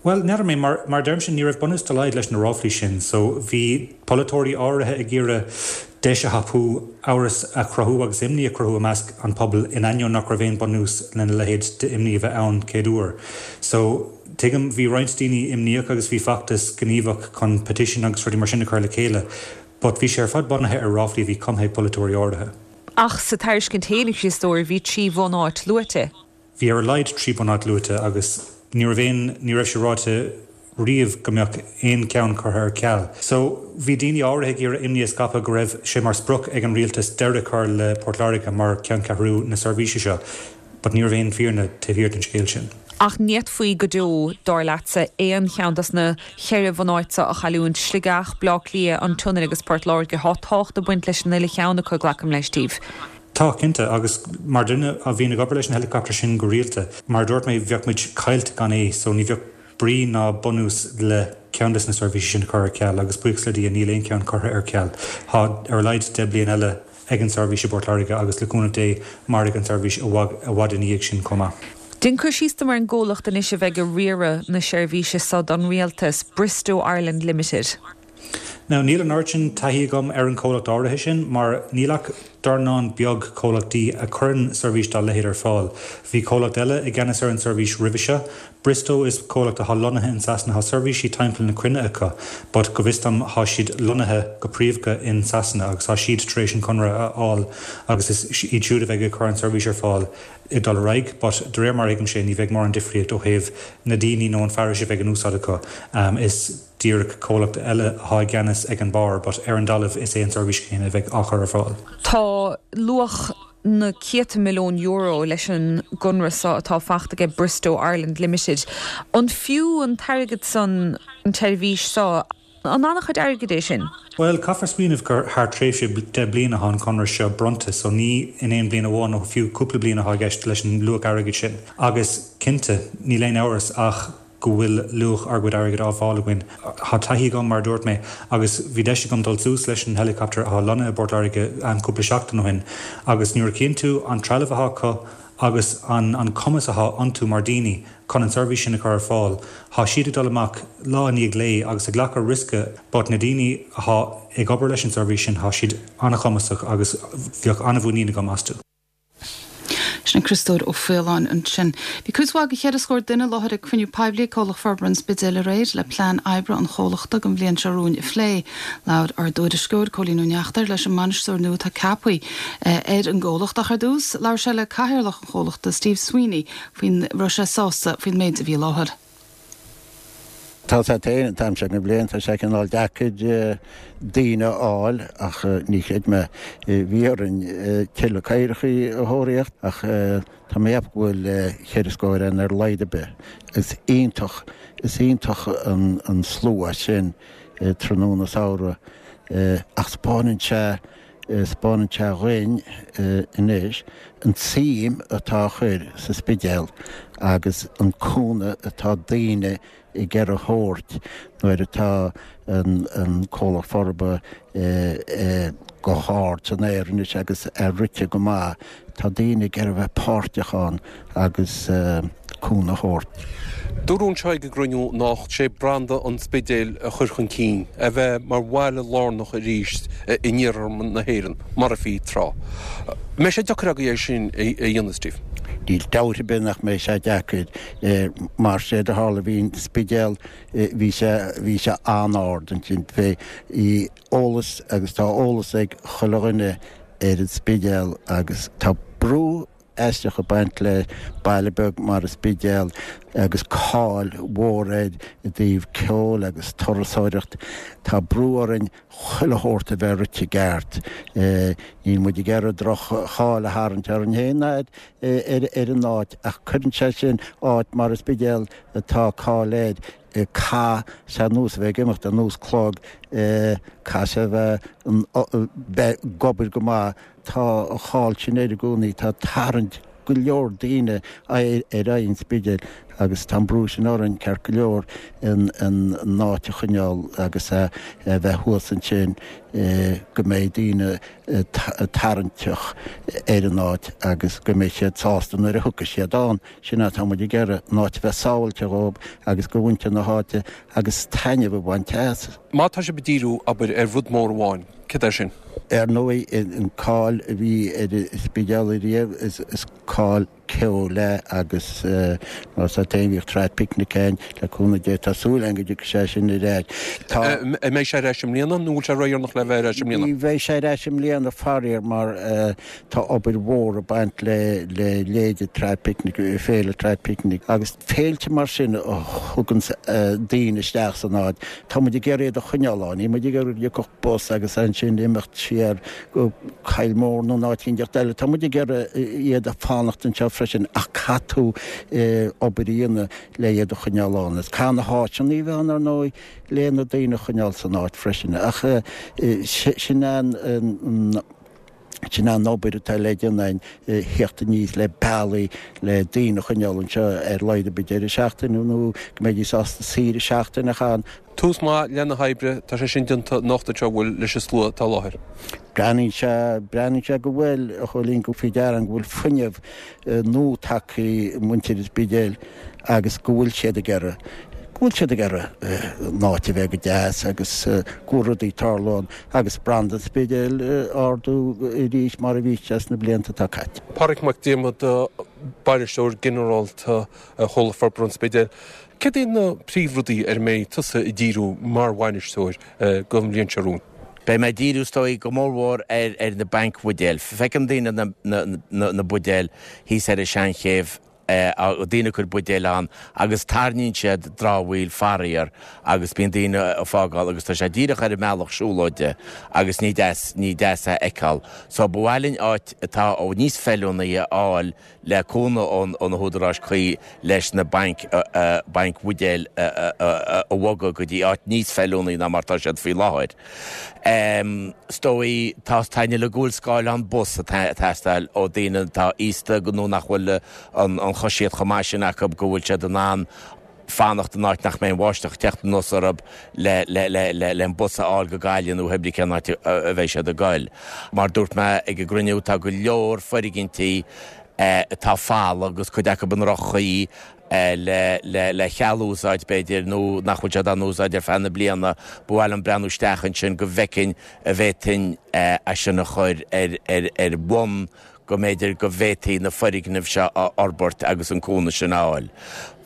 Speaker 13: Bhuel, n'fheadar mé, mar, mar deirimse, ní raibh bunús dá laghad leis na ráflaí sin, so bhí polaiteoirí áirithe ag iarraidh deis a thapú amhras a chruthú agus imní a chruthú i measc an phobail in ainneoin nach raibh aon bunús lena leithéid d'imní a bheith ann chéad uair. So, tuigim, bhí roinnt daoine imníoch agus bhí feachtas gníomhach chun petition agus rudaí mar sin a chur le chéile, but bhí sé ar fad bunaithe ar ráflaí a bhí cumtha ag polaiteoirí áirithe.
Speaker 5: Ach sa tairiscint féin, a Chriostóir, bhí trí bhunáit luaite.
Speaker 13: Bhí ar a laghad trí bunáit luaite agus ní raibh aon, ní raibh sé ráite riamh go mbeadh aon cheann curtha ar ceal. So, bhí daoine áirithe ag iarraidh imní a scaipeadh go raibh sé mar sprioc ag an rialtas deireadh a chur le Port Láirge mar cheanncheathrú na seirbhíse seo, but ní raibh aon fírinne taobh thiar den scéal sin.
Speaker 5: Ach ní fhéadfaí go deo, dar leatsa, aon cheann dos na ceithre bhunáite a chailliúint, Sligeach, Bleá Cliath, an tSionainn agus Port Láirge. Tá tábhacht ag baint leis an uile cheann acu, glacaim leis, Steve.
Speaker 13: Tá, cinnte, agus mar duine a bhíonn ag obair leis an helicopter sin go rialta, mar a dúirt mé, bheadh muid caillte gan é, so ní bheadh brí ná bunús le ceann des na seirbhísí sin a chur ar ceal, agus buíochas le Dia níl aon cheann curtha ar ceal. Tá ar a laghad deich bliain eile ag an seirbhís i bPort Láirge agus le cúnamh Dé mairfidh an tseirbhís i bhfad ina dhiaidh sin chomh maith.
Speaker 5: Déan cur síos dom ar an gcomhlacht anois a bheidh ag riaradh na seirbhíse seo don Rialtas, Bristow Ireland Limited.
Speaker 13: Now níl an oiread sin taithí agam ar an chomhlacht áirithe sin mar níl ach dornán beag comhlachtaí a chuireann seirbhís dá leithéid ar fáil. Bhí comhlacht eile i gceannas ar an seirbhís roimhe seo. Bristow is comhlacht atá lonnaithe in Sasana, tá seirbhísí timpeall na cruinne acu, but go bhfios dom tá siad lonnaithe go príomha in Sasana agus tá siad tar éis an conradh a fháil agus is iad siúd a bheidh ag cur an seirbhís ar fáil ag dul ar aghaidh, but de réir mar a thuigimse ní bheidh mórán difríocht ó thaobh na daoine nó an fearais a bheidh in úsáid acu. Is díreach comhlacht eile atá i gceannas ag an barr, but ar an dtalamh is é an seirbhís chéanna a bheidh á chur ar fáil.
Speaker 5: Tá luach na céadta milliún euro leis an gconradh seo atá faighte aige Bristow Ireland Limited. An fiú an t-airgead san an tseirbhís seo? An an-chuid airgid é sin?
Speaker 13: Bhuel, caithfear smaoineamh gur thar tréimhse deich bliana atá an conradh seo bronnta, so ní in aon bhliain amháin nó fiú cúpla bliain atá i gceist leis an luach airgid sin. Agus cinnte, níl aon amhras ach go bhfuil luach ár gcuid airgid á fháil againn. Tá taithí agam, mar a dúirt mé, agus bhí deis agam dul suas leis an helicopter atá lonnaithe i bPort Láirge cúpla seachtain ó shin, agus nuair a chíonn tú an trealamh atá acu agus an an cumas atá iontu mar daoine chun an seirbhís sin a chur ar fáil, tá siad ag dul amach lá i ndiaidh lae agus ag glacadh riosca, but na daoine atá ag obair leis an seirbhís sin, tá siad an-chumasach agus bheadh an-mhuinín agam astu.
Speaker 1: Sin Criostóir Ó Faoláin ansin. Bhí cuid mhaith de cheithre scór duine i láthair ag cruinniú poiblí ag Comhlacht Forbartha an Spidéil aréir le plean oibre an chomhlachta don bhliain seo romhainn a phlé. Labhair ár dtuairisceoir Cóilín Ó Neachtain leis an mbainisteoir nua atá ceaptha ar an gcomhlacht ach ar dtús labhair sé le cathaoirleach an chomhlachta Steve Sweeney faoin raibh sé sásta faoin méid a bhí i láthair.
Speaker 14: Tá sé féin an t-am seo den bhliain, tá sé cineál deacair daoine a fháil ach ní chreid mé. Bhí orainn tuilleadh cathaoireachaí a thóraíocht ach tá mé ag ceapadh go bhfuil cheithre scór ann ar a laghad ar bith. Is iontach, is iontach an slua sin tráthnóna samhraidh ach 'spáineann sé, 'spáineann sé dhuinn anois an tsuim atá á chur sa Spidéal agus an cúnamh atá daoine ag iarraidh a thabhairt nuair atá an comhlacht forbartha go hard san aer anois agus é rite go maith. Tá daoine ag iarraidh a bheith páirteach ann agus cúnamh a thabhairt.
Speaker 15: Dúradh anseo ag an gcruinniú anocht sé branda an Spidéil a chur chun cinn, a bheith mar bhaile lárnach arís in iarthar na hÉireann, mar a bhí tráth. An mbeidh sé deacair agaibh é sin a dhéanamh, Steve?
Speaker 14: Níl dabht ar bith nach mbeidh sé deacair. Mar séard a tharla, bhí an Spidéal, bhí sé, bhí sé an-ard ansin. Bhí eolas agus tá eolas ag chuile dhuine ar an Spidéal agus tá brú aisteach ag baint le baile beag mar an Spidéal agus cáil mhór air i dtaobh ceoil agus turasóireacht. Tá brú orainn chuile shórt a bheith rite i gceart. Níl muid ag iarraidh droch-cháil a tharraingt orainn féin ná ar an áit ach cuireann sé sin áit mar an Spidéal atá cáil air, caithfidh sé ar nós a bheith ag imeacht ar nós clog, caithfidh sé a bheith bheith ag obair go maith. Tá an cháil sin air i gcónaí, tá tarraingt go leor daoine ar aghaidh an Spidéil agus tá an brú sin orainn, ceart go leor, an áit a choinneáil agus a bheith thuas ansin go mbeidh daoine tarraingteach ar an áit agus go mbeidh siad sásta nuair a thiocfaidh siad ann. Sin atá muid ag iarraidh, an áit a bheith sábháilte dhóibh agus do mhuintir na háite agus taitneamh a bhaint as.
Speaker 15: Má tá sibh ag díriú, abair, ar rud mór amháin, céard é sin?
Speaker 14: Ar ndóigh, an cáil a bhí ar an Spidéal ariamh, is cáil ceoil é agus mar tá féin bhíodh Trad Picnic ann, le cúnamh Dé tá súil againn go dtiocfaidh sé sin ar ais.
Speaker 15: Tá. An mbeidh sé ar ais i mbliana nó bhfuil sé ródheireanach le bheith ar ais i mbliana?
Speaker 14: Ní bheidh sé ar ais i mbliana faraor mar tá obair mhór ag baint le le leithéide Trad Picnic, féile Trad Picnic agus féilte mar sin a thugann daoine isteach san áit. Tá muid ag iarraidh iad a choinneáil ann, níl muid ag iarraidh go dtiocfadh bus agus ansin imeacht siar go Coill Mór nó áit éicint eile. Tá muid ag iarraidh iad a fanacht anseo freisin ach caithfidh tú obair a dhéanamh le iad a choinneáil ann. Is caithfidh na háiteanna a bheith ann ar ndóigh le na daoine a choinneáil san áit freisin ach sin an sin an obair atá le déanamh againn, theacht aníos le bealaí le daoine a choinneáil anseo ar laghad ar bith deireadh seachtaine nó go mbeidís sásta saoire seachtaine a chaitheamh.
Speaker 15: Tús maith le na hoibre, tá sé sin déanta anocht anseo, an bhfuil, leis an slua atá i láthair.
Speaker 14: Breathnaíonn sé, breathnaíonn sé go bhfuil, a Chóilín, go faoi deara go bhfuil fuinneamh nua tagtha i muintir an Spidéil agus go bhfuil siad ag iarraidh, go bhfuil siad ag iarraidh an áit a bheith go deas agus go bhfuil rudaí ag tarlú ann agus branda an Spidéil a ardú arís mar a bhí sé sna blianta atá caite.
Speaker 15: Pádraig Mac Diarmada, Bainisteoir Ginearálta Chomhlacht Forbartha an Spidéil. Céard iad na príomhrudaí ar a mbeidh tusa ag díriú mar bhainisteoir don bhliain seo romhainn?
Speaker 16: Beidh mé ag díriú is dóigh go mórmhór ar ar na bainc bhuidéil. Feiceann daoine na na na buidéil thíos ar an Seanchéibh, daoine ag cur buidéil ann agus tarraingíonn siad dramhaíl faraor agus bíonn daoine ag fágáil agus tá sé díreach ar an mbealach siúlóide agus ní deas ní deas é a fheiceáil. So ba mhaith linn áit atá níos feiliúnaí a fháil le cúnamh ó na húdaráis cuí leis na bainc bainc bhuidéil a bhogadh go dtí áit níos feiliúnaí ná mar tá siad faoi láthair. Is dóigh tá taitneamh le go bhfuil scáileán bus ag teastáil ó daoine atá aosta nó nach bhfuil an choisíocht chomh maith sin acu go bhfuil siad in ann fanacht in áit nach mbeidh an bháisteach ag teacht anuas orthu le le an bus a fháil go Gaillimh nó pé ar bith cén áit a bheidh siad ag goil. Mar dúirt mé ag an gcruinniú tá go leor foirgintí atá folamh agus cuid acu i ndroch-chaoi le le le ceal úsáid b'fhéidir nó nach bhfuil siad á n-úsáid ar feadh na bliana. Ba mhaith liom breathnú isteach ansin go bhfeicfinn an bhféadfainn é sin a chur ar ar ar bhonn go mb'fhéidir go bhféadfaí na foirgnimh seo a fhorbairt agus an cúnamh sin a fháil.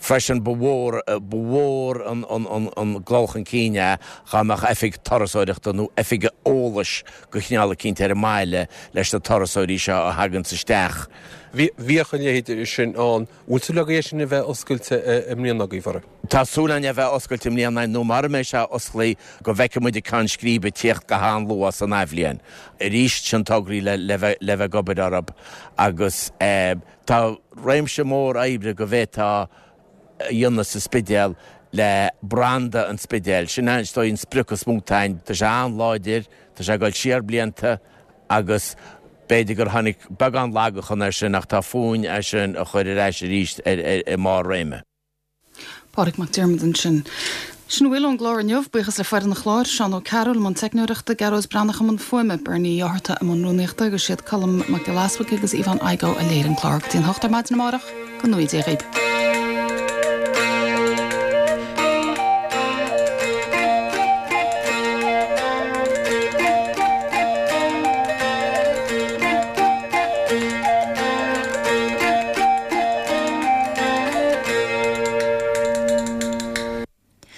Speaker 16: Freisin ba mhór ba mhór an an an an dul chun cinn é dhá mbeadh oifig turasóireachta nó oifig eolais de chineál eicínt ar an mbaile leis na turasóirí seo a thaganns isteach.
Speaker 15: Bhíodh a leithéid sin ann. Bhfuil súil agaibh é sin a bheith oscailte i mbliana agaibh, a Phádraig?
Speaker 16: Tá súil againn é a bheith oscailte i mbliana nó mara mbeidh sé osclaí go bhfeicfidh muid an ceann scríbe ag tíocht go han-luath san athbhliain. Arís, sin tograí le le bheith le bheith ag obair orthu agus tá réimse mór oibre go bhféadfá a dhéanamh sa Spidéal le branda an Spidéil. Sin é is dóigh an sprioc is mó atá againn. Tá sé an-láidir, tá sé ag dul siar blianta agus b'fhéidir gur tháinig beagán lagachan air sin ach tá fúinn é sin a chur ar ais arís i mbarr réime.
Speaker 1: Pádraig Mac Diarmada ansin. Sin a bhfuil ón gclár inniu. Buíochas le foireann an chláir, Seán Ó Cearúil i mbun teicneoireachta, Gearóid Breathnach i mbun fuaime, Bernie Uí Fhátharta i mbun rúnaíochta agus siad Colm Mac Giolla Easbuig agus Yvonne Igoe a léirigh an clár. Go dtí an hocht ar maidin amárach, go ngnóthaí Dia dhaoibh.